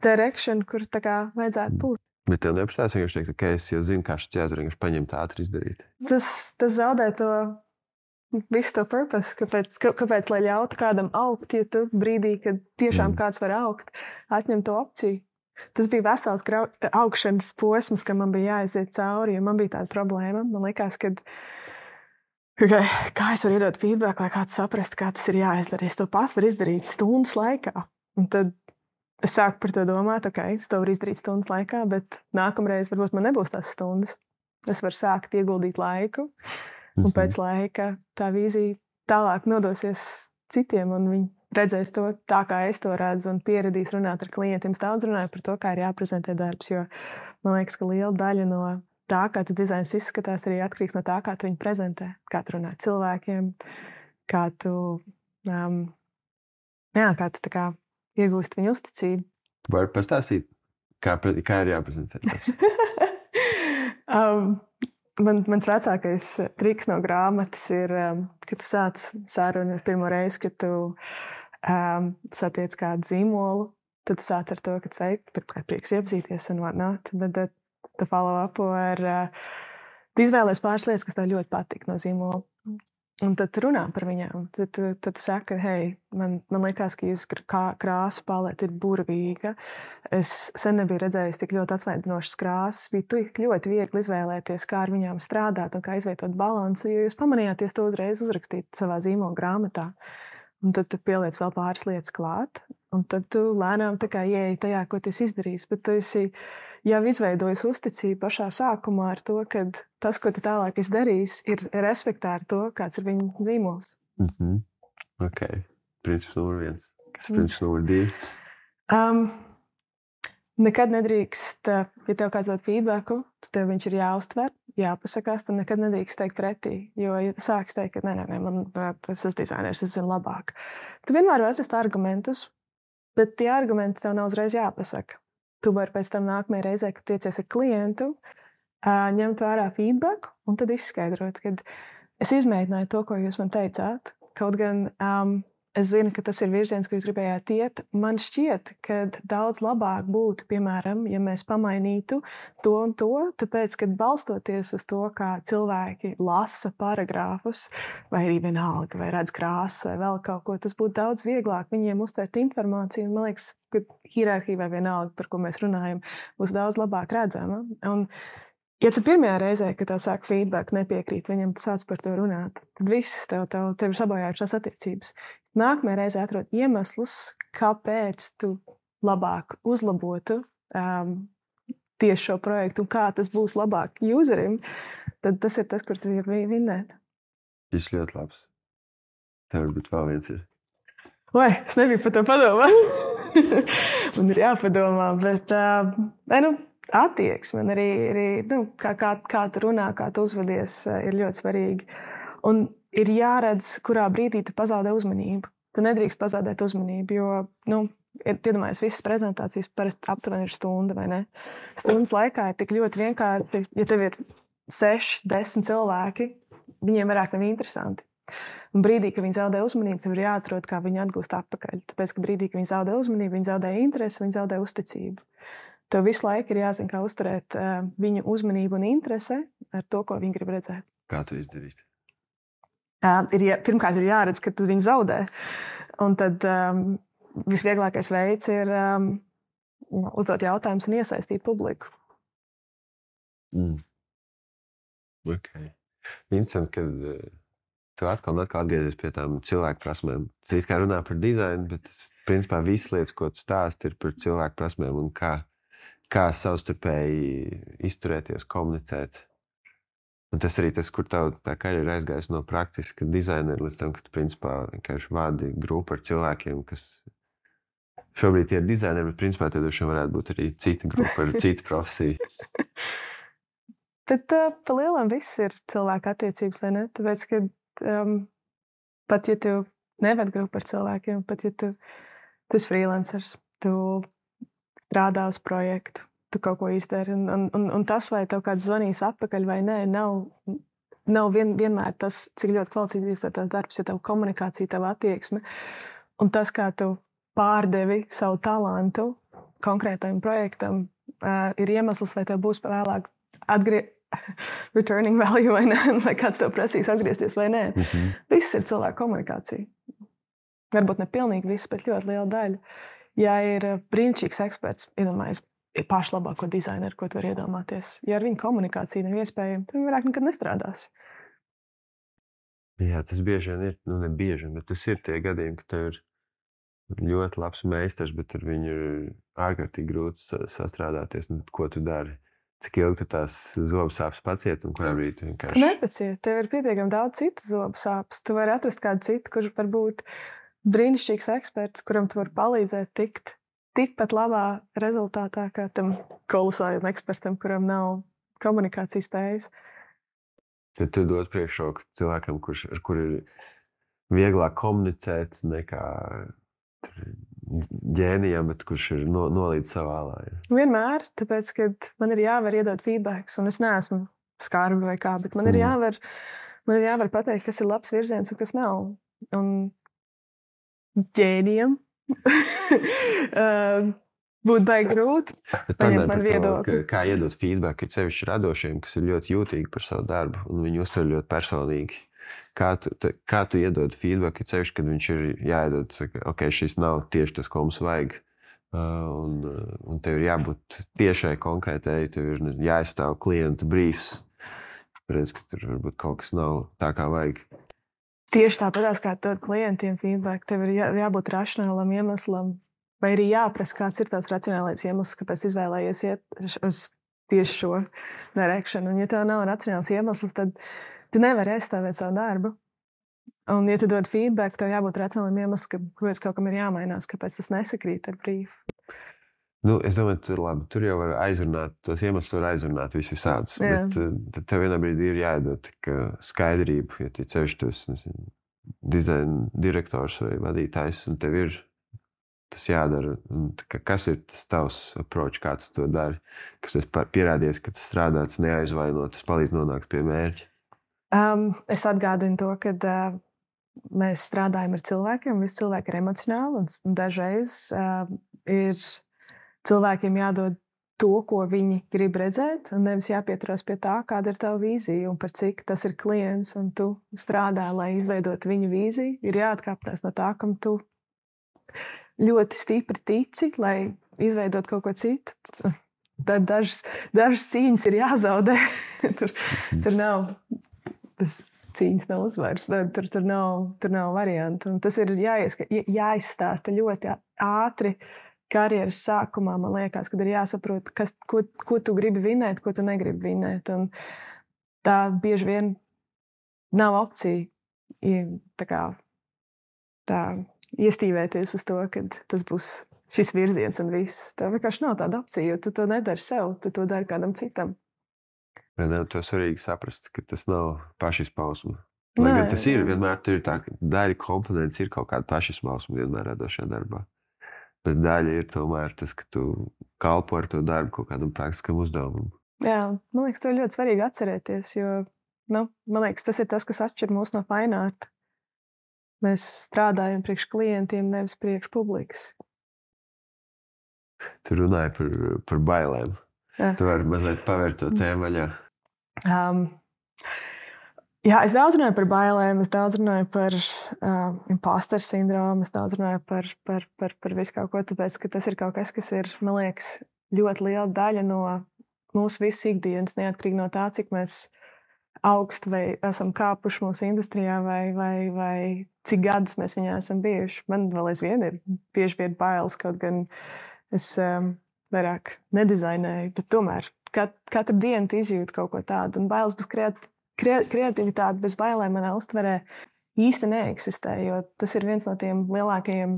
direction, kur tā kā vajadzētu būt. Bet tev neprasās vienkārši teikt, ka es jau zinu, kā šis jāzara, vienkārši paņemt ātri izdarīt. Tas zaudē to visu to purpose, kāpēc lai ļautu kādam augt, ja tu brīdī, kad tiešām kāds var augt, atņem to opciju. Tas bija vesels augšanas posms, ka man bija jāaiziet cauri, jo man bija tāda problēma. Man liekas, ka kā es varu iedot feedback, lai kāds saprast, kā tas ir jāizdara. Es to pats varu izdarīt stundas laikā. Un tad es sāku par to domāt, es to varu izdarīt stundas laikā, bet nākamreiz varbūt man nebūs tās stundas. Es varu sākt ieguldīt laiku. Un pēc laika tā vīzija tālāk nodosies citiem, un viņi redzēs to tā, kā es to redzu, un pieradīs runāt ar klientiem. Es daudz runāju par to, kā ir jāprezentē darbs, jo man liekas, ka liela daļa no tā, kā tu dizains izskatās, arī atkarīgs no tā, kā tu viņu prezentē, kā tu runā cilvēkiem, kā tu tā kā iegūst viņu uzticību. Vari pastāstīt, kā ir jāprezentē darbs? Mans vecākais triks no grāmatas ir, kad tu sāc sarunu pirmo reizi, kad tu satiec kādu zīmolu, tad tu sāc ar to, ka sveiki, pirmkārt prieks iepazīties un whatnot, bet tu follow upo ar, tu izvēlies pāris lietas, kas tev ļoti patīk no zīmola. Un tad tu runā par viņām. Tad tu saki, hei, man liekas, ka jūsu krāsa palete ir burvīga. Es sen nebiju redzējis tik ļoti atsvaidzinošas krāsas. Bija tik ļoti viegli izvēlēties, kā ar viņām strādāt un kā izvietot balansu, jo jūs pamanījāties to uzreiz uzrakstīt savā zīmola grāmatā. Un tad tu pieliec vēl pāris lietas klāt, un tad tu lēnām tā kā ieeji tajā, ko tu esi izdarījis. Bet tu esi jau izveidojis uzticību pašā sākumā ar to, ka tas, ko tu tālāk esi darījis, ir respektē ar to, kāds ir viņa zīmols. Ok. Princips numur 1. Kas ir princips numur 2? Nekad nedrīkst, ja tev kāds dod feedbacku, tad tev viņš ir jāuztver, jāpasakās, tad nekad nedrīkst teikt pretī. Jo, ja tu sāks teikt, ka nē, man tas ir dizainers, es zinu labāk. Tu vienmēr vari atrast argumentus, bet tie argumenti tev nav uzreiz jāpasaka. Tu vari pēc tam nākamajā reizē, kad tiecies ar klientu, ņemt vērā feedbacku un tad izskaidrot, ka es izmēģināju to, ko jūs man teicāt. Kaut gan es zinu, ka tas ir virziens, ko jūs gribējāt iet. Man šķiet, ka daudz labāk būtu, piemēram, ja mēs pamainītu to un to, tāpēc, ka balstoties uz to, kā cilvēki lasa paragrāfus, vai arī vienalga, vai redz krāsas, vai vēl kaut ko, tas būtu daudz vieglāk viņiem uztvert informāciju. Man liekas, ka hierarhija vai vienalga, par ko mēs runājam, būs daudz labāk redzama. Un, ja tu pirmajā reizē, kad tev sāk feedback, nepiekrīt viņam, tu sāc par to runāt, tad viss tev ir sabojājušās attiecības. Nākamajā reizē atrod iemeslus, kāpēc tu labāk uzlabotu tieši šo projektu un kā tas būs labāk userim, tad tas ir tas, kur tu vari vinnēt. Tas ļoti labs. Tev varbūt vēl viens ir. Oi, es nebiju par to padomāt. Man ir jāpadomā, bet attieksme arī kā tu runā, kā tu uzvedies, ir ļoti svarīgi. Un ir jāredz, kurā brīdī tu pazaudē uzmanību. Tu nedrīkst pazaudēt uzmanību, jo, iedomājies, visas prezentācijas parasti aptuveni ir stunda, vai ne? Stundas laikā ir tik ļoti vienkārši, ja tev ir 6, 10 cilvēki, viņiem vairāk nav interesanti. Un brīdī, kad viņi zaudē uzmanību, tev ir jāatrod, kā viņi atgūst atpakaļ. Tāpēc, ka brīdī, kad viņi zaudē uzmanību, viņi zaudē interesi, viņi zaudē uzticību. Tev visu laiku ir jāzina, kā uzturēt viņu uzmanību un interesi ar to, ko viņi grib redzēt. Kā to izdarīt? Pirmkārt, ir jāredz, ka viņi zaudē. Un tad visvieglākais veids ir uzdot jautājumus un iesaistīt publiku. Ok. Interesanti, ka tu atkal atgriezies pie tām cilvēku prasmēm. Tu it kā runā par dizainu, bet principā visas lietas, ko tu stāsti, ir par cilvēku prasmēm un kā savstarpēji izturēties, komunicēt. Un tas arī tas, kur tā karjera aizgājas no praktiska dizainera līdz tam, ka tu principā vienkārši vādi grupu ar cilvēkiem, kas šobrīd ir dizaineri, bet principā tad varētu būt arī cita grupa ar citu profesiju. Bet pa lielam viss ir cilvēku attiecības, vai ne? Tāpēc, ka pat ja tu neved grupu ar cilvēkiem, pat ja tu esi freelancers, tu strādā uz projektu, tu kaut ko izdari. Un tas, vai tev kāds zvanīs atpakaļ vai nē, nav vienmēr tas, cik ļoti kvalitatīvs ir tavs darbs, ja tev komunikācija, tev attieksme. Un tas, kā tu pārdevi savu talantu konkrētajam projektam, ir iemesls, vai tev būs vēlāk returning value vai nē, vai kāds tev prasīs atgriezties vai nē. Viss ir cilvēku komunikācija. Varbūt ne pilnīgi viss, bet ļoti liela daļa. Ja ir brīnišķīgs eksperts, iedomājies, ir pašlabāko dizaineru, ko tu vari iedomāties. Ja ar viņu komunikācija nav iespējama, tad viņi vairāk nekad nestrādās. Jā, tas bieži vien ir, ne bieži, bet tas ir tie gadījumi, ka tev ir ļoti labs meistars, bet ar viņu ir ārkārtīgi grūti sastrādāties. Ko tu dari? Cik ilgi tu tās zobu sāpes paciet un kurā brīdī tu vienkārši... Tu nepaciet, tev ir pietiekami daudz citas zobu sāpes. Tu vari atrast kādu citu, kurš var būt brīnišķīgs eksperts, kuram tu vari palīdzēt tikt tikpat labā rezultātā, kā tam kolosālajam ekspertam, kuram nav komunikācijas spējas. Tad tu dod priekšroku cilvēkam, ar kuru ir vieglāk komunicēt nekā ģēnijam, bet kurš ir nolīdz savā lājā. Vienmēr, tāpēc, ka man ir jāvar iedot feedbacks, un es neesmu skarba vai kā, bet man ir jāvar pateikt, kas ir labs virziens un kas nav. Un ģēnijam būtu baigi grūti. Man viedokli. Kā iedot feedback, ir sevišķi radošiem, kas ir ļoti jūtīgi par savu darbu, un viņi uztver ļoti personīgi. Kā tu iedod feedback, ceļš, kad viņš ir jāiedod, saka, ok, šis nav tieši tas, ko mums vajag. Un tev ir jābūt tiešai konkrētai, tev ir jāizstāv klienta briefs. Redz, ka tur varbūt kaut kas nav tā, kā vajag. Tieši tāpatās, kā dod klientiem feedback, tev ir jābūt racionālam iemeslam, vai arī jāprasa, kāds ir tās racionālais iemesls, kāpēc izvēlējies iet uz tieši šo darēkšanu. Un ja tev nav racionāls iemesls, tad tu nevari aizstāvēt savu darbu. Un, ja tu dod feedback, tev jābūt racionālam iemeslam, kāpēc kaut kam ir jāmainās, kāpēc tas nesakrīt ar brīvu. Es domāju, tur jau var aizrunāt, tos iemeslus var aizrunāt visādus. Bet tad tev vienā brīdī ir jāiedod skaidrību, ja tu ceļš tos dizaina direktors vai vadītājs, un tev ir tas jādara. Un, kas ir tas tavs approach, kā tu to dari? Kas tas pierādies, ka tas strādā, tas neaizvaino, tas palīdz nonākt pie mērķa? Es atgādinu to, ka mēs strādājam ar cilvēkiem, visi cilvēki ir emocionāli, un dažreiz ir cilvēkiem jādod to, ko viņi grib redzēt, un nevis jāpieturās pie tā, kāda ir tava vīzija un par cik tas ir klients, un tu strādā, lai izveidotu viņu vīziju. Ir jāatkāpjas no tā, kam tu ļoti stipri tici, lai izveidotu kaut ko citu. Tad dažas cīņas ir jāzaudē. tur nav... Tas cīņas nav uzvaras, bet tur nav variantu. Un tas ir jāizstāsta ļoti ātri karjeras sākumā, man liekas, kad ir jāsaprot, ko tu gribi vinēt, ko tu negribi vinēt. Un tā bieži vien nav opcija tā iestīvēties uz to, ka tas būs šis virziens un viss. Tā vienkārši nav tāda opcija, jo tu to nedari sev, tu to dari kādam citam. To svarīgi saprast, ka tas nav pašizpausme. Lai gan tas ir, vienmēr tur ir tā, ka daļa komponents ir kaut kāda pašizpausme vienmēr radošajā darbā. Bet daļa ir tomēr tas, ka tu kalpo ar to darbu kaut kādam praktiskam uzdevumam. Jā, man liekas, to ļoti svarīgi atcerēties, jo, man liekas, tas ir tas, kas atšķir mūs no fine art. Mēs strādājam priekš klientiem, nevis priekš publikas. Tu runāji par bailēm. Jā. Tu vari mazliet pavērt to tēmu vaļā. Es daudz runāju par bailēm, es daudz runāju par imposteru sindromu, es daudz runāju par visu kaut ko, tāpēc, ka tas ir kaut kas, kas ir, man liekas, ļoti liela daļa no mūsu visu ikdienas, neatkarīgi no tā, cik mēs augstu vai esam kāpuši mūsu industrijā vai cik gadus mēs viņā esam bijuši. Man vēl aizvien ir bieži vien bailes, kaut gan es vairāk nedizainēju, bet tomēr katru dienu izjūtu kaut ko tādu. Un bailes bez kreativitāte, bez bailēm manā uztverē īsti neeksistē, jo tas ir viens no tiem lielākajiem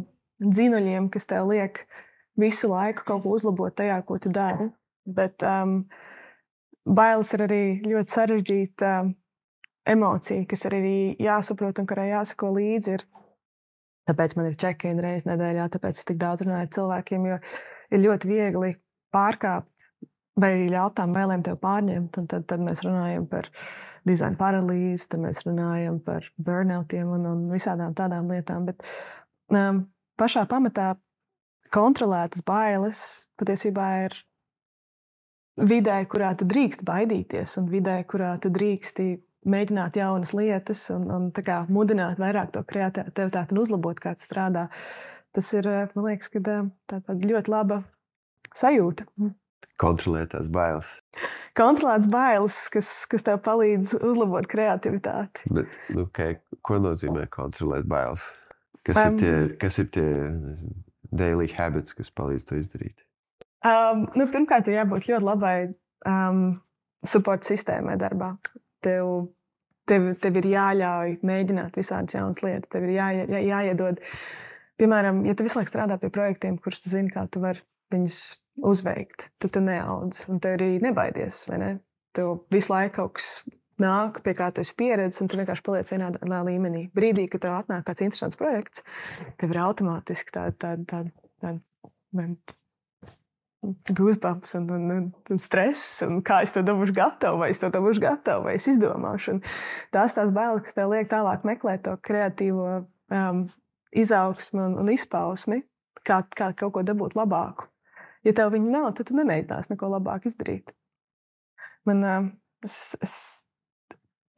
dzinuļiem, kas tev liek visu laiku kaut ko uzlabot tajā, ko tu dari. Bet bailes ir arī ļoti sarežģīta emocija, kas arī jāsaprot un kurai jāsako līdzi. Tāpēc man ir check-in reizi nedēļā, tāpēc es tik daudz runāju ar cilvēkiem, jo ir ļoti viegli pārkāpt vai arī ļaut tām bailēm tev pārņemt. Un tad mēs runājam par dizaina paralīzi, tad mēs runājam par burnoutiem un visādām tādām lietām. Bet pašā pamatā kontrolētas bailes patiesībā ir vidē, kurā tu drīkst baidīties, un vidē, kurā tu drīksti mēģināt jaunas lietas un tā kā mudināt vairāk to kreativitāti un uzlabot, kā tas strādā. Tas ir, man liekas, ka tā ļoti laba sajūta. Kontrolētās bailes. Kontrolētas bailes, kas tev palīdz uzlabot kreativitāti. Bet, ko nozīmē kontrolēt bailes? Kas ir tie daily habits, kas palīdz to izdarīt? Pirmkārt, ir jābūt ļoti labai support sistēmai darbā. Tev ir jāļauj mēģināt visādas jaunas lietas. Tev ir jāiedod. Piemēram, ja tu visu laiku strādā pie projektiem, kurus tu zini, kā tu vari viņus uzveikt, tad tu neaudz. Un tev arī nebaidies, vai ne? Tev visu laiku kaut kas nāk, pie kā tu esi pieredzis, un tu vienkārši paliec vienā līmenī. Brīdī, kad tev atnāk kāds interesants projekts, tev ir automātiski tāda goosebumps un stress, un kā es to dabūšu gatavu, vai es to dabūšu gatavu, vai es izdomāšu. Un tās bailes, kas tev liek tālāk meklēt to kreatīvo izaugsmi un izpausmi, kā kaut ko dabūt labāku. Ja tev viņa nav, tad tu nemēģinās neko labāk izdarīt.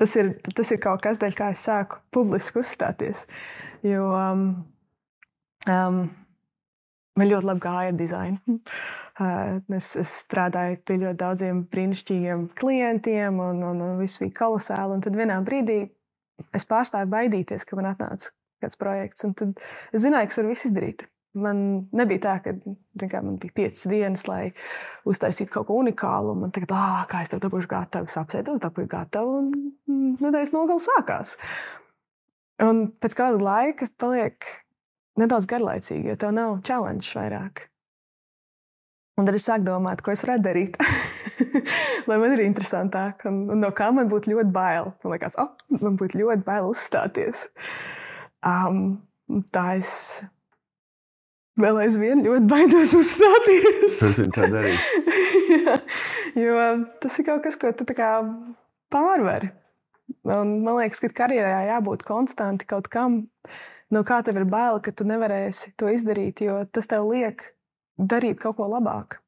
tas ir kaut kas, dēļ kā es sāku publiski uzstāties. Jo man ļoti labi gāja ar dizainu. Es strādāju pie ļoti daudziem brīnišķīgiem klientiem, un viss bija kolosāli. Un tad vienā brīdī es pārstāju baidīties, ka man atnāca kāds projekts. Un tad es zināju, ka es varu visu izdarīt. Man nebija tā, ka man bija 5 dienas, lai uztaisītu kaut ko unikālu. Man tagad, kā es tev dabūšu gatavu, es apsēdos, dabūju gatavu, un nedēļas nogale sākās. Un pēc kāda laika paliek nedaudz garlaicīgi, jo tev nav challenge vairāk. Un tad es sāku domāt, ko es varētu darīt, lai man ir interesantāk. Un no kā man būtu ļoti bail. Man liekas, man būtu ļoti bail uzstāties. Tā es vēl aizvien ļoti baidos uzstāties. Tā darīt. Jo tas ir kaut kas, ko tu tā kā pārvari. Un man liekas, ka karjerā jābūt konstanti kaut kam, no kā tev ir bail, ka tu nevarēsi to izdarīt, jo tas tev liek darīt kaut ko labāk.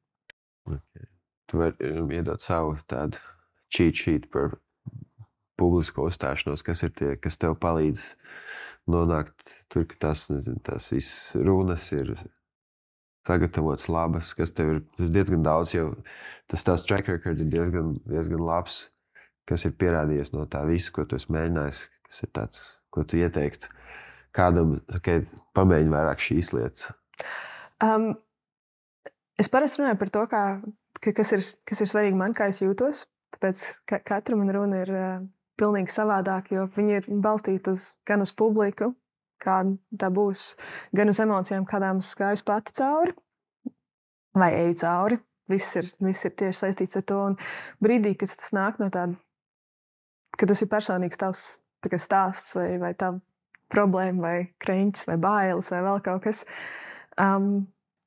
Okay. Tu vari iedot savu tādu cheat sheet par publisko uzstāšanos, kas ir tie, kas tev palīdz nonākt tur, ka tās visas runas ir sagatavotas labas, kas tev ir diezgan daudz, jo tas tās track record ir diezgan labs, kas ir pierādījies no tā visu, ko tu esi mēģinājis, kas ir tāds, ko tu ieteiktu kādam, pamēģini vairāk šīs lietas. Es parasti runāju par to, kas ir svarīgi man, kā es jūtos. Tāpēc katra man runa ir pilnīgi savādāk, jo viņi ir balstīti gan uz publiku, kā tā būs, gan uz emocijām, kādām es gāju pati cauri vai eju cauri. Viss ir tieši saistīts ar to. Un brīdī, kad tas nāk no tāda, ka tas ir personīgs tavs stāsts vai tava problēma vai kreņķis vai bailes vai vēl kaut kas,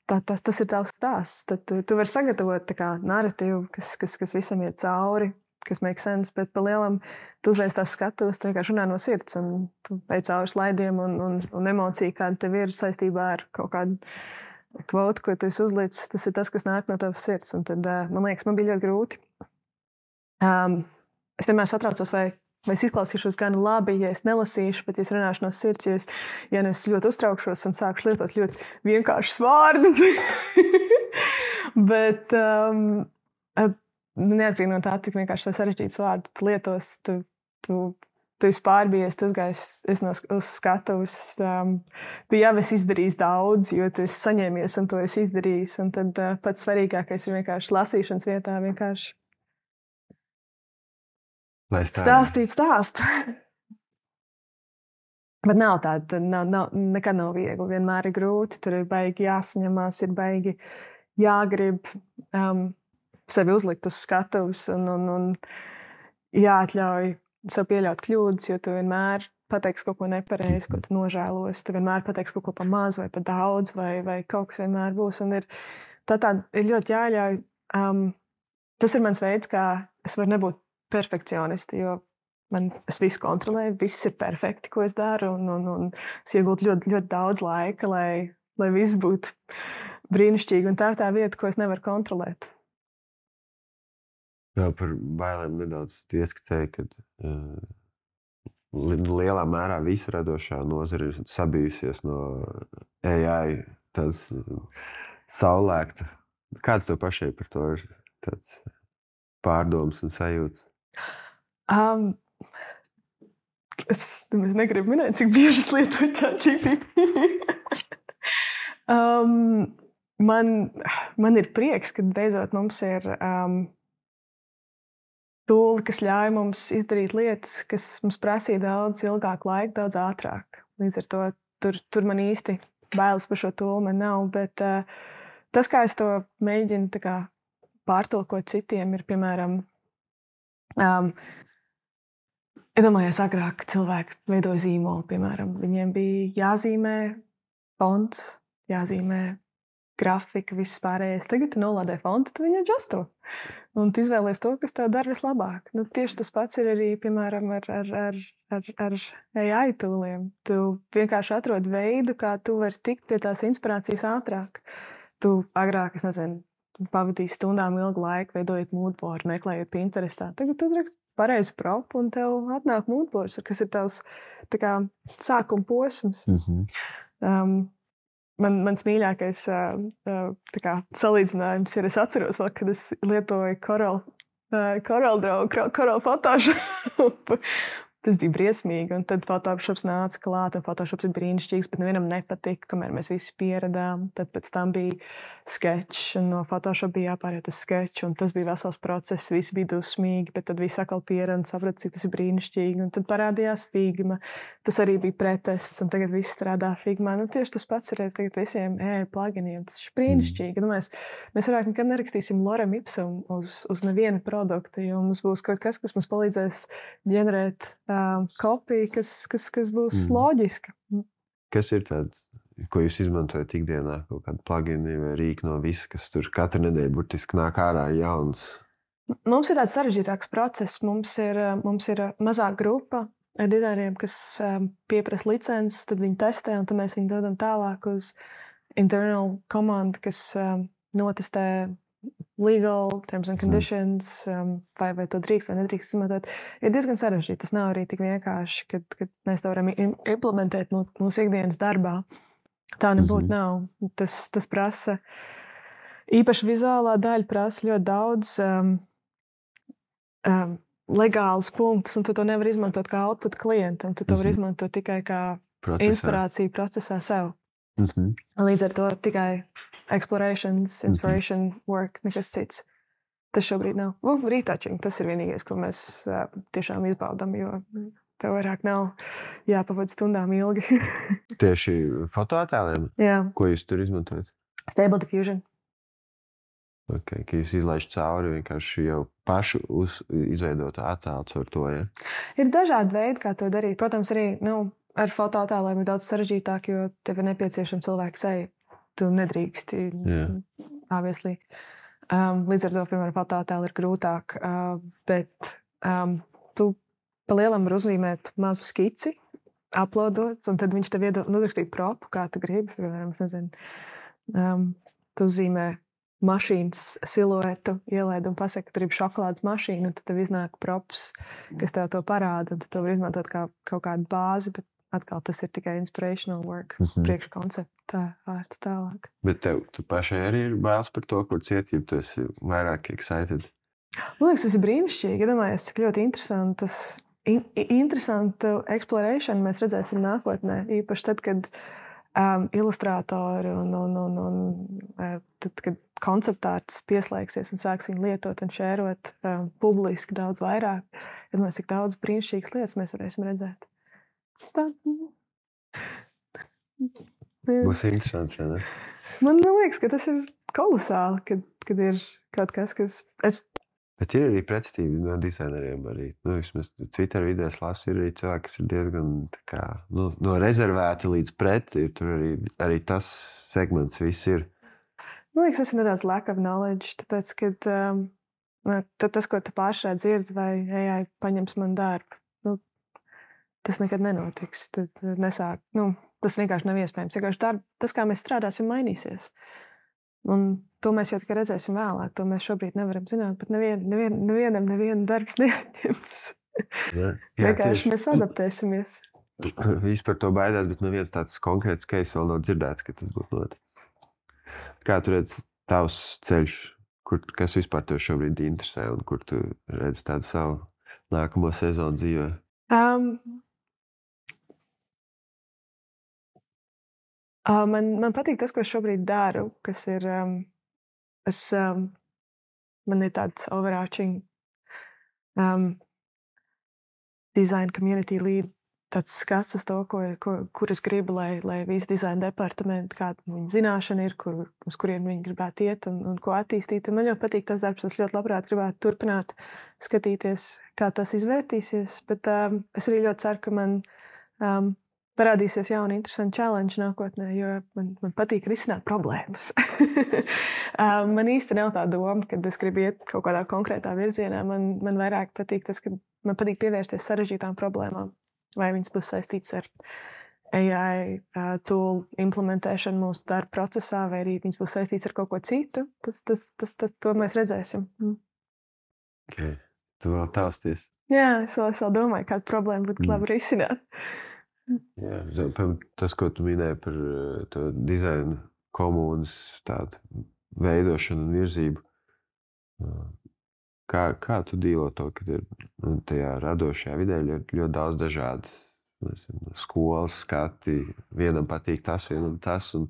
tas ir tavs stāsts. Tad tu vari sagatavot narratīvu, kas visam iet cauri, kas make sense, bet pa lielam tu uzreiz tās skatos, tu vienkārši runā no sirds, un tu ej cauri slaidiem un emocija, kāda tev ir saistībā ar kaut kādu kvotu, ko tu esi uzlicis, tas ir tas, kas nāk no tavas sirds. Un tad, man liekas, man bija ļoti grūti. Es vienmēr satraucos, vai es izklausīšos gan labi, ja es nelasīšu, bet ja es runāšu no sirds, ja es ļoti uztraukšos un sākšu lietot ļoti vienkāršus vārdus. Bet neatkarīgi no tā, cik vienkārši sarežģīts vārds tu lietos, tu esi pārbijies, tu uzgājis uz skatuves, tu jau esi izdarījis daudz, jo tu esi saņēmies un to esi izdarījis. Un tad pats svarīgākais ir vienkārši lasīšanas vietā vienkārši stāstīt stāstu. Bet nav tāda, nekad nav viegli, vienmēr ir grūti, tur ir baigi jāsaņemās, ir baigi jāgrib sevi uzlikt uz skatuves un jāatļauj sev pieļaut kļūdas, jo tu vienmēr pateiksi kaut ko nepareizi, ko tu nožēlos, tu vienmēr pateiksi kaut ko pa maz vai pa daudz vai kaut kas vienmēr būs. Un ir ļoti jāļauj. Tas ir mans veids, kā es varu nebūt perfekcionisti, jo es visu kontrolēju, viss ir perfekti, ko es daru, un es iegūtu ļoti, ļoti daudz laika, lai viss būtu brīnišķīgi, un tā ir tā vieta, ko es nevaru kontrolēt. Jā, par bailēm nedaudz ieskicēju, ka lielā mērā visa radošā nozara ir sabijusies no AI, tāds saulēkta. Kāds tev pašai par to ir tāds pārdoms un sajūts? Es negribu minēt, cik bieži es lietoju ChatGPT. Man ir prieks, ka beidzot mums ir tūli, kas ļauj mums izdarīt lietas, kas mums prasīja daudz ilgāku laiku, daudz ātrāk. Līdz ar to tur man īsti bailes par šo tūli man nav, bet tas, kā es to mēģinu pārtulkot citiem, ir, piemēram, iedomājies agrāk cilvēki veidoja zīmolu, piemēram. Viņiem bija jāzīmē fonts, jāzīmē grafika, viss pārējais. Tagad tu nolādē fontu, tu viņu adjusto. Un tu izvēlies to, kas tev dara vislabāk. Tieši tas pats ir arī, piemēram, ar AI tūliem. Tu vienkārši atrod veidu, kā tu vari tikt pie tās inspirācijas ātrāk. Tu agrāk, es nezinu, pavadīji stundām ilgu laiku, veidojot moodboardu, meklējot Pinterestā. Tagad tu uzrakst pareizu propu, un tev atnāk moodboards, kas ir tavs tā kā sākuma posms. Mans mīļākais tā kā salīdzinājums ir, es atceros vēl, kad es lietoju Corel Photoshop. Tas bija briesmīgi, un tad Photoshops nāca klāt, un Photoshops ir brīnišķīgs, bet nevienam nepatika, kamēr mēs visi pieradām. Tad pēc tam bija sketch, un no Photoshop bija jāpāriet uz sketch, un tas bija vesels process, visi bija dusmīgi, bet tad visi atkal pierada un saprata, cik tas ir brīnišķīgi, un tad parādījās Figma. Tas arī bija pretests, un tagad viss strādā Figmā. Nu, tieši tas pats ir tagad visiem pluginiem. Tas ir brīnišķīgi. Nu, mēs vairāk nekad nerakstīsim lorem ipsum uz nevienu produktu, jo mums būs kaut kas mums palīdzēs ģenerēt kopija, kas būs loģiska. Kas ir tāds, ko jūs izmantojat ikdienā? Kaut kādu plugini vai rīku no visa, kas tur katru nedēļu burtiski nāk ārā jauns? Mums ir tāds sarežģītāks process. Mums ir mazāka grupa ar dizaineriem, kas pieprasa licences, tad viņi testē, un tad mēs viņu dodam tālāk uz internal komandu, kas notestē legal terms and conditions, vai to drīkst vai nedrīkst izmantot, ir diezgan sarežģīti. Tas nav arī tik vienkārši, kad mēs to varam implementēt mūsu ikdienas darbā. Tā nebūtu nav. Tas prasa, īpaši vizuālā daļa prasa ļoti daudz legālus punktus, un tu to nevar izmantot kā output klientam. Tu to var izmantot tikai kā inspirāciju procesā sev. Līdz ar to tikai inspiration work, nekas cits. Tas šobrīd nav. Retouching, tas ir vienīgais, ko mēs tiešām izbaudam, jo tev vairāk nav jāpavada stundām ilgi. Tieši fotoattēliem? Jā. Ko jūs tur izmantojat? Stable Diffusion. Okay, ka jūs izlaižat cauri vienkārši jau pašu izveidotu attēlu caur to, ja? Ir dažādi veidi, kā to darīt. Protams, arī, ar fotoattēliem ir daudz sarežģītāk, jo tev ir nepieciešama cilvēka seja. Tu nedrīksti, obviously. Līdz ar to, piemēram, fotoattēli ir grūtāk, bet tu pa lielam var uzzīmēt mazu skici, uploadot, un tad viņš tev nodrakstīt propu, kā tu gribi. Piemēram, es nezinu, tu uzzīmē mašīnas siluetu, ielaid un pasaka, ka tur ir šokolādes mašīna, un tad tev iznāk props, kas tev to parāda, un tu to var izmantot kā kaut kādu bāzi, bet atkal tas ir tikai inspirational work, priekškoncepta vārds tālāk. Bet tu pašai arī ir bailes par to, kur ciet, ja tu esi vairāk excited? Man liekas, tas ir brīnišķīgi. Iedomājies, cik ļoti interesantu exploration mēs redzēsim nākotnē. Īpaši tad, kad ilustrātori tad, kad konceptārts pieslēgsies un sāks viņu lietot un šērot publiski daudz vairāk. Iedomājies, cik daudz brīnišķīgas lietas mēs varēsim redzēt. Būs interesants, vai ne? Man liekas, ka tas ir kolosāli, kad ir kaut kas, kas... Bet ir arī pretestība no dizaineriem arī. Vismaz Twitter vidēs lasu, ir arī cilvēki, kas ir diezgan tā kā, no rezervēti līdz pret, ir tur arī tas segments viss ir. Man liekas, tas ir nedaudz lack of knowledge, tāpēc, ka tas, ko tu pāršā dzirdi, vai AI paņems man darbu, tas nekad nenotiks. Tad nesāk, tas vienkārši nav iespējams. Tas, kā mēs strādāsim, mainīsies. Un to mēs jau tikai redzēsim vēlāk. To mēs šobrīd nevaram zināt, bet nevienam darbs neatņems. Vienkārši mēs adaptēsimies. Visi par to baidās, bet neviens tāds konkrēts case vēl nav dzirdēts, ka tas būtu noticis. Kā tu redz tavs ceļš, kas vispār tev šobrīd interesē un kur tu redz tādu savu nākamo sezonu dzīvē? Man patīk tas, ko es šobrīd daru, kas ir, man ir tāds overarching design community lead, tāds skats uz to, kur es gribu, lai visi dizaina departamenti, kāda viņa zināšana ir, uz kuriem viņi gribētu iet un ko attīstīt. Un man ļoti patīk tas darbs, es ļoti labprāt gribētu turpināt skatīties, kā tas izvērtīsies, bet es arī ļoti ceru, ka man parādīsies jauni interesanti challenge nākotnē, jo man patīk risināt problēmas. Man īsti nav tā doma, kad es gribu iet kaut kādā konkrētā virzienā. Man vairāk patīk tas, ka man patīk pievērsties sarežģītām problēmām. Vai viņas būs saistītas ar AI tool implementēšanu mūsu darba procesā, vai arī viņas būs saistītas ar kaut ko citu. To mēs redzēsim. Okay. Tu vēl tausties. Jā, es vēl domāju, kāda problēma būtu labi risināt. Jā, tas, ko tu minēji par to dizaina komunas tādu veidošanu un virzību, kā tu dīlo to, ka ir tajā radošajā vidē ļoti daudz dažādas skolas skati, vienam patīk tas, vienam tas, un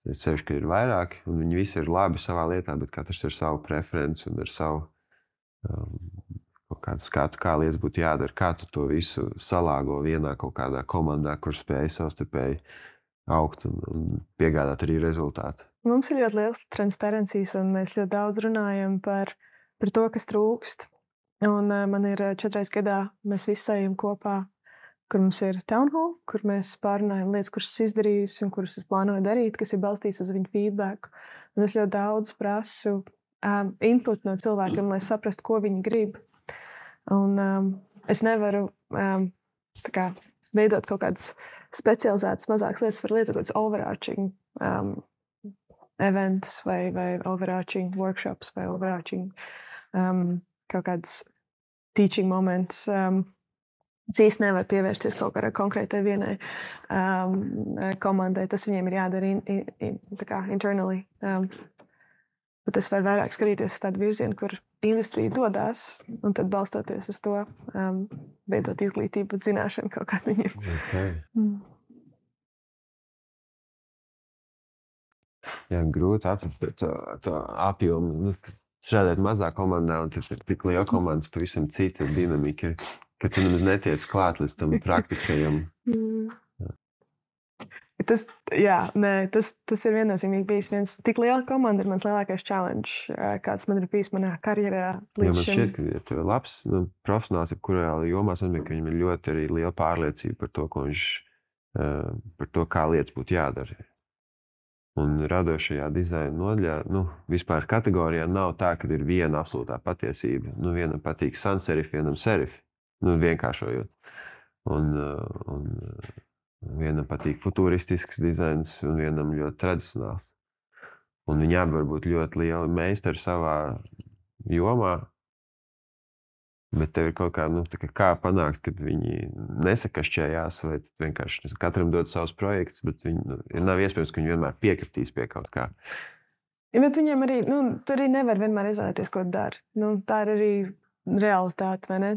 es ceru, ka ir vairāki, un viņi visi ir labi savā lietā, bet katrs ir savu preferenci un ar savu kaut kādu skatu, kā lietas būtu jādara, kā tu to visu salāgo vienā kaut kādā komandā, kur spēj savstarpēji augt un piegādāt arī rezultātu. Mums ir ļoti liels transparencijas, un mēs ļoti daudz runājam par to, kas trūkst. Un man ir 4 reizes gadā, mēs visi ejam kopā, kur mums ir town hall, kur mēs pārunājam lietas, kuras es izdarījusi un kuras es plānoju darīt, kas ir balstīts uz viņu feedback. Un es ļoti daudz prasu input no cilvēkiem, lai saprastu, ko viņi grib. Un es nevaru veidot kaut kādas specializētas mazākas lietas, var lietot kaut kādas overarching events vai overarching workshops vai overarching kaut kādas teaching moments. Es īsti nevaru pievērsties kaut kādai konkrētai vienai komandai. Tas viņiem ir jādara internally. Bet es varu vairāk skatīties uz tādu virzienu, kur industrija dodās, un tad balstoties uz to veidot izglītību un zināšanu kaut kādu viņiem. Okay. Jā, grūti atrast to apjomu. Strādāt mazā komandā, un tad ir tik liela komandas, pavisam cita dinamika, ka tu nemaz netiec klāt līdz tam praktiskajam. Tas ir viennozīmīgi bijis viens. Tik liela komanda ir mans lielākais challenge, kāds man ir bijis manā karjerā līdz šim. Man šķiet, ka ja tu ir labs profesionāls, jebkurā jomā, ka viņam ir ļoti arī liela pārliecība par to, par to, kā lietas būtu jādara. Un radošajā dizaina nodaļā, vispār kategorijā nav tā, ka ir viena absolūtā patiesība. Vienam patīk sans serif, vienam serif. Vienkāršojot. Un vienam patīk futuristisks dizains, un vienam ļoti tradicionāls. Un viņi abi var būt ļoti lieli meistari savā jomā, bet tev ir kaut kā panākt, kad viņi nesakašķējās, vai vienkārši katram dod savus projektus, bet viņi nav iespējams, ka viņi vienmēr piekritīs pie kaut kā. Ja, bet viņiem arī, tu arī nevar vienmēr izvēlēties, ko dari. Tā ir arī realitāte, vai ne?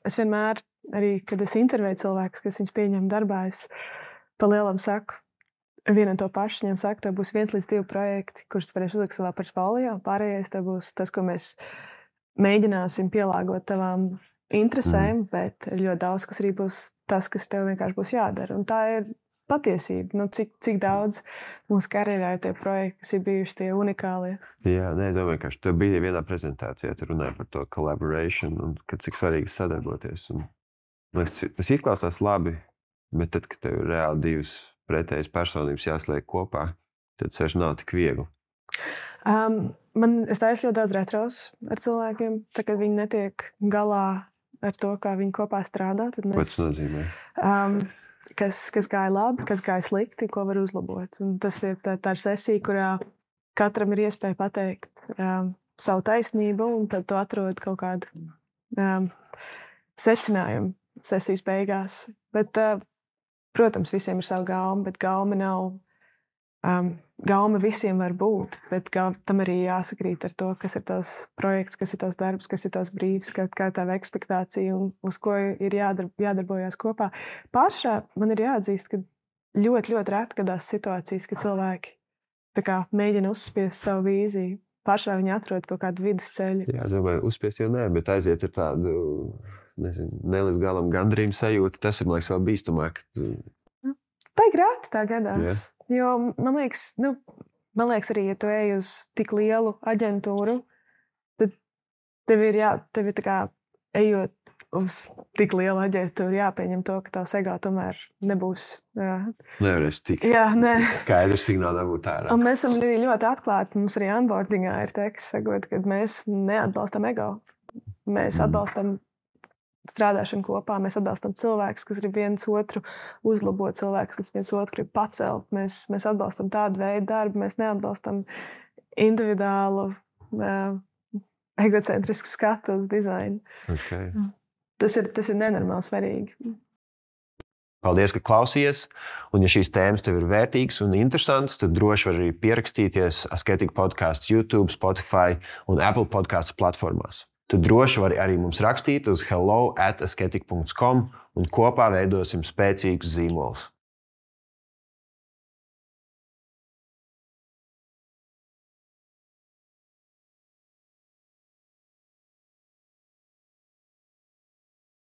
Es vienmēr, arī, kad es intervēju cilvēkus, kas viņus pieņem darbā, es pa lielam saku, vienam to pašu, viņam saku, tev būs 1 līdz 2 projekti, kurus varēšu uzlikt savā portfolio, pārējais tev būs tas, ko mēs mēģināsim pielāgot tavām interesēm, bet ļoti daudz, kas arī būs tas, kas tev vienkārši būs jādara. Un tā ir patiesība. Cik daudz mūsu karjerā ir tie projekti, kas ir bijuši tie unikālie. Jā, es domāju, ka tev bija vienā prezentācijā, tu runāji par to collaboration un cik svarīgi sadarboties. Un, tas izklausās labi, bet tad, kad tev ir reāli 2 pretējas personības jāsliek kopā, tad tas vairs nav tik viegli. Es taisu ļoti daudz retros ar cilvēkiem, tā, kad viņi netiek galā ar to, kā viņi kopā strādā. Tad mēs, ko tas nozīmē? Kas gāja labi, kas gāja slikti, ko var uzlabot. Un tas ir tā ir sesija, kurā katram ir iespēja pateikt savu taisnību, un tad tu atrod kaut kādu secinājumu sesijas beigās. Bet, protams, visiem ir sava gauma, bet gauma nav. Gauma visiem var būt, bet tam arī jāsakrīt ar to, kas ir tavs projekts, kas ir tavs darbs, kas ir tavs brīvs, kā tava ekspektācija un uz ko ir jādarbojās kopā. Pašā man ir jāatzīst, ka ļoti, ļoti reti gadās situācijas, kad cilvēki mēģina uzspiest savu vīziju. Pašā viņi atrod kaut kādu vidusceļu. Jā, domāju, uzspiest jau nē, bet aiziet ar tādu, ne līdz galam gandrību sajūtu. Tas ir, man liekas, vēl bīstamāk. Tā ir grāti tā gadās. Yeah. Jo, man liekas arī, ja tu ej uz tik lielu aģentūru, tad tev ir ejot uz tik lielu aģentūru, jāpieņem to, ka tavs ego tomēr nebūs. Nevarēs tik skaidrs signāli dabūt ārā. Un mēs esam arī ļoti atklāti. Mums arī onboardingā ir teksts, sakot, ka mēs neatbalstam ego. Mēs atbalstam strādāšanu kopā, mēs atbalstam cilvēkus, kas grib viens otru uzlabot, cilvēkus, kas viens otru grib pacelt. Mēs atbalstam tādu veidu darbu, mēs neatbalstam individuālu, egocentrisku skatu uz dizainu. Okay. Tas ir nenormāli svarīgi. Paldies, ka klausījies. Un, ja šīs tēmas tev ir vērtīgas un interesantas, tad droši var arī pierakstīties Asketika podkāstu YouTube, Spotify un Apple podkāstu platformās. Tu droši vari arī mums rakstīt uz hello@asketika.com un kopā veidosim spēcīgus zīmolus.